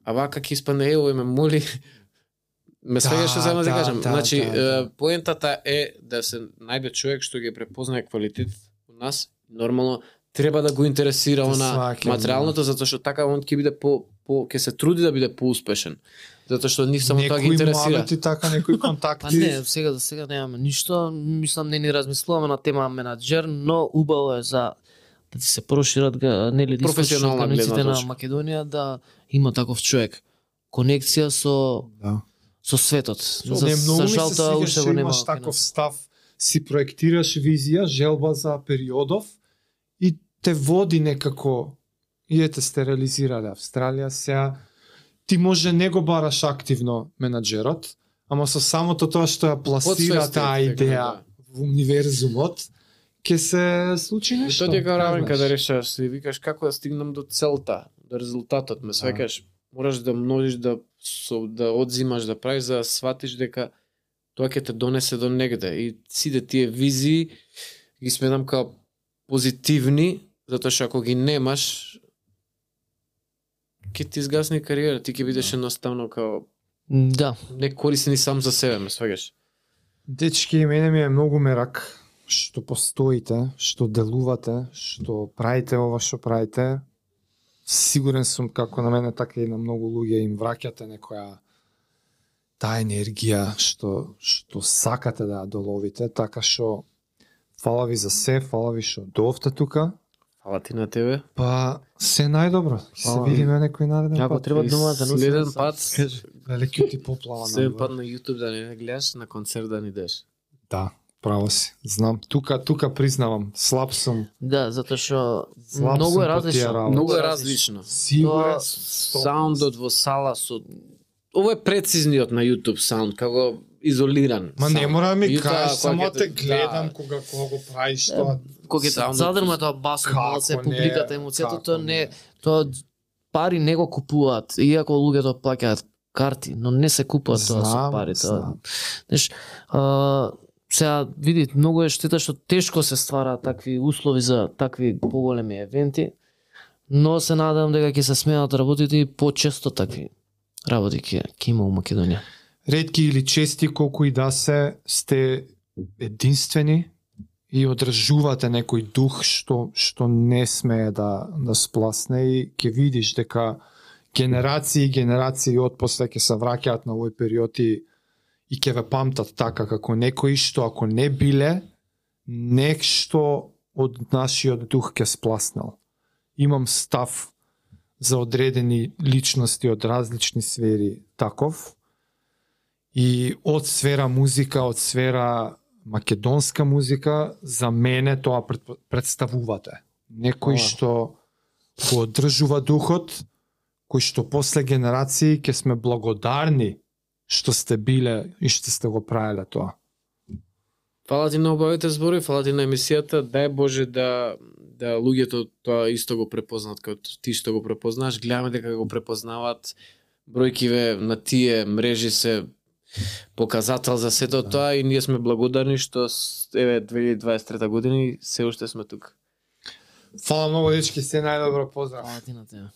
А вака ќе испадне ево ме моли ме свеѓаш што сама да кажам. Значи поентата е да се најде човек што ги препознае квалитет у нас, нормално треба да го интересира Те она сваќам, материјалното затоа што така он ќе биде ќе се труди да биде поуспешен. Затоа што нив само тоа ги интересира. Некои муабети така, некои Па контакти. не, сега за сега немаме ништо, мислам не ни размислуваме на тема менаџер, но убаво е за да ти се прошират нели Професионална границите гледна на точка. Македонија да има таков човек. Конекција Да. со светот. Не, многу ми жал се тоа свиѓа уште што го нема. имаш таков став, си проектираш визија, желба за периодов и те води некако, и ете сте реализирале Австралија, сега ти може не го бараш активно менаџерот, ама со самото тоа што ја пласира Подсвестен, таа дека, идеја да. во универзумот, ќе се случи И нешто. тоа ти е као равен знаеш. каде решаваш си викаш како да стигнам до целта, до резултатот, ме свекаш, мораш да множиш да одзимаш да правиш за да сватиш дека тоа ќе те донесе до негде и сите тие визии ги сметам као позитивни, затоа што ако ги немаш ќе ти изгасне кариера, ти ќе бидеш едноставно као Да, не корисни сам за себе, ме свегаш. Дечки, мене ми е многу мерак што постоите, што делувате, што правите ова што правите. Сигурен сум како на мене така и на многу луѓе им враќате некоја таа енергија што сакате да ја доловите, така што фала ви за се, фала ви што доовте тука. Фала ти на тебе. Па се најдобро. Ќе се Фала. видиме некој нареден ако пат. треба думата да Следен пат, Велики ти поплава следен надвор. пат на YouTube да не гледаш, на концерт да ни идеш. Да, право си. Знам, тука признавам, слаб сум. да, затоа што Слаб многу сум е по тие различно. работи. Многу е различно. Сигурен Тоа Саундот во сала со ова е прецизниот на YouTube саунд, како изолиран. Ма не саунд. мора да ми Меѓутоа, кажеш, само кога ќе те да, гледам кога го правиш тоа. Кога ќе Саундот- задрма тоа басот, Како малце не, публиката, емоцијата, како тоа не. не, тоа пари не го купуваат, иако луѓето плаќаат карти, но не се купува тоа со Знам, пари, тоа. знам. Знаеш, сега види, многу е штета што тешко се ствараат такви услови за такви поголеми евенти, но се надевам дека ќе се сменат работите и почесто такви работи ќе има у Македонија. Ретки или чести колку и да се, сте единствени и одржувате некој дух што не смее да спласне и ќе видиш дека генерации и генерации отпосле ќе се враќаат на овој период и ќе ве памтат така како некои што ако не биле нешто од нашиот дух ќе спласнал. Имам став за одредени личности од различни сфери таков и од сфера музика, од сфера македонска музика, за мене тоа представувате. Некој Фала. што го одржува духот, кој што после генерации ќе сме благодарни што сте биле и што сте го правеле тоа. Фала ти на обавите збори, фала ти на емисијата. Дај Боже да луѓето тоа исто го препознаат како ти што го препознаш. Гледаме дека го препознаваат. Бројкиве на тие мрежи се показател за сето тоа и ние сме благодарни што еве 2023 година и се уште сме тука. Фала многу, дечки, се најдобро, поздрав. Фала ти на тебе.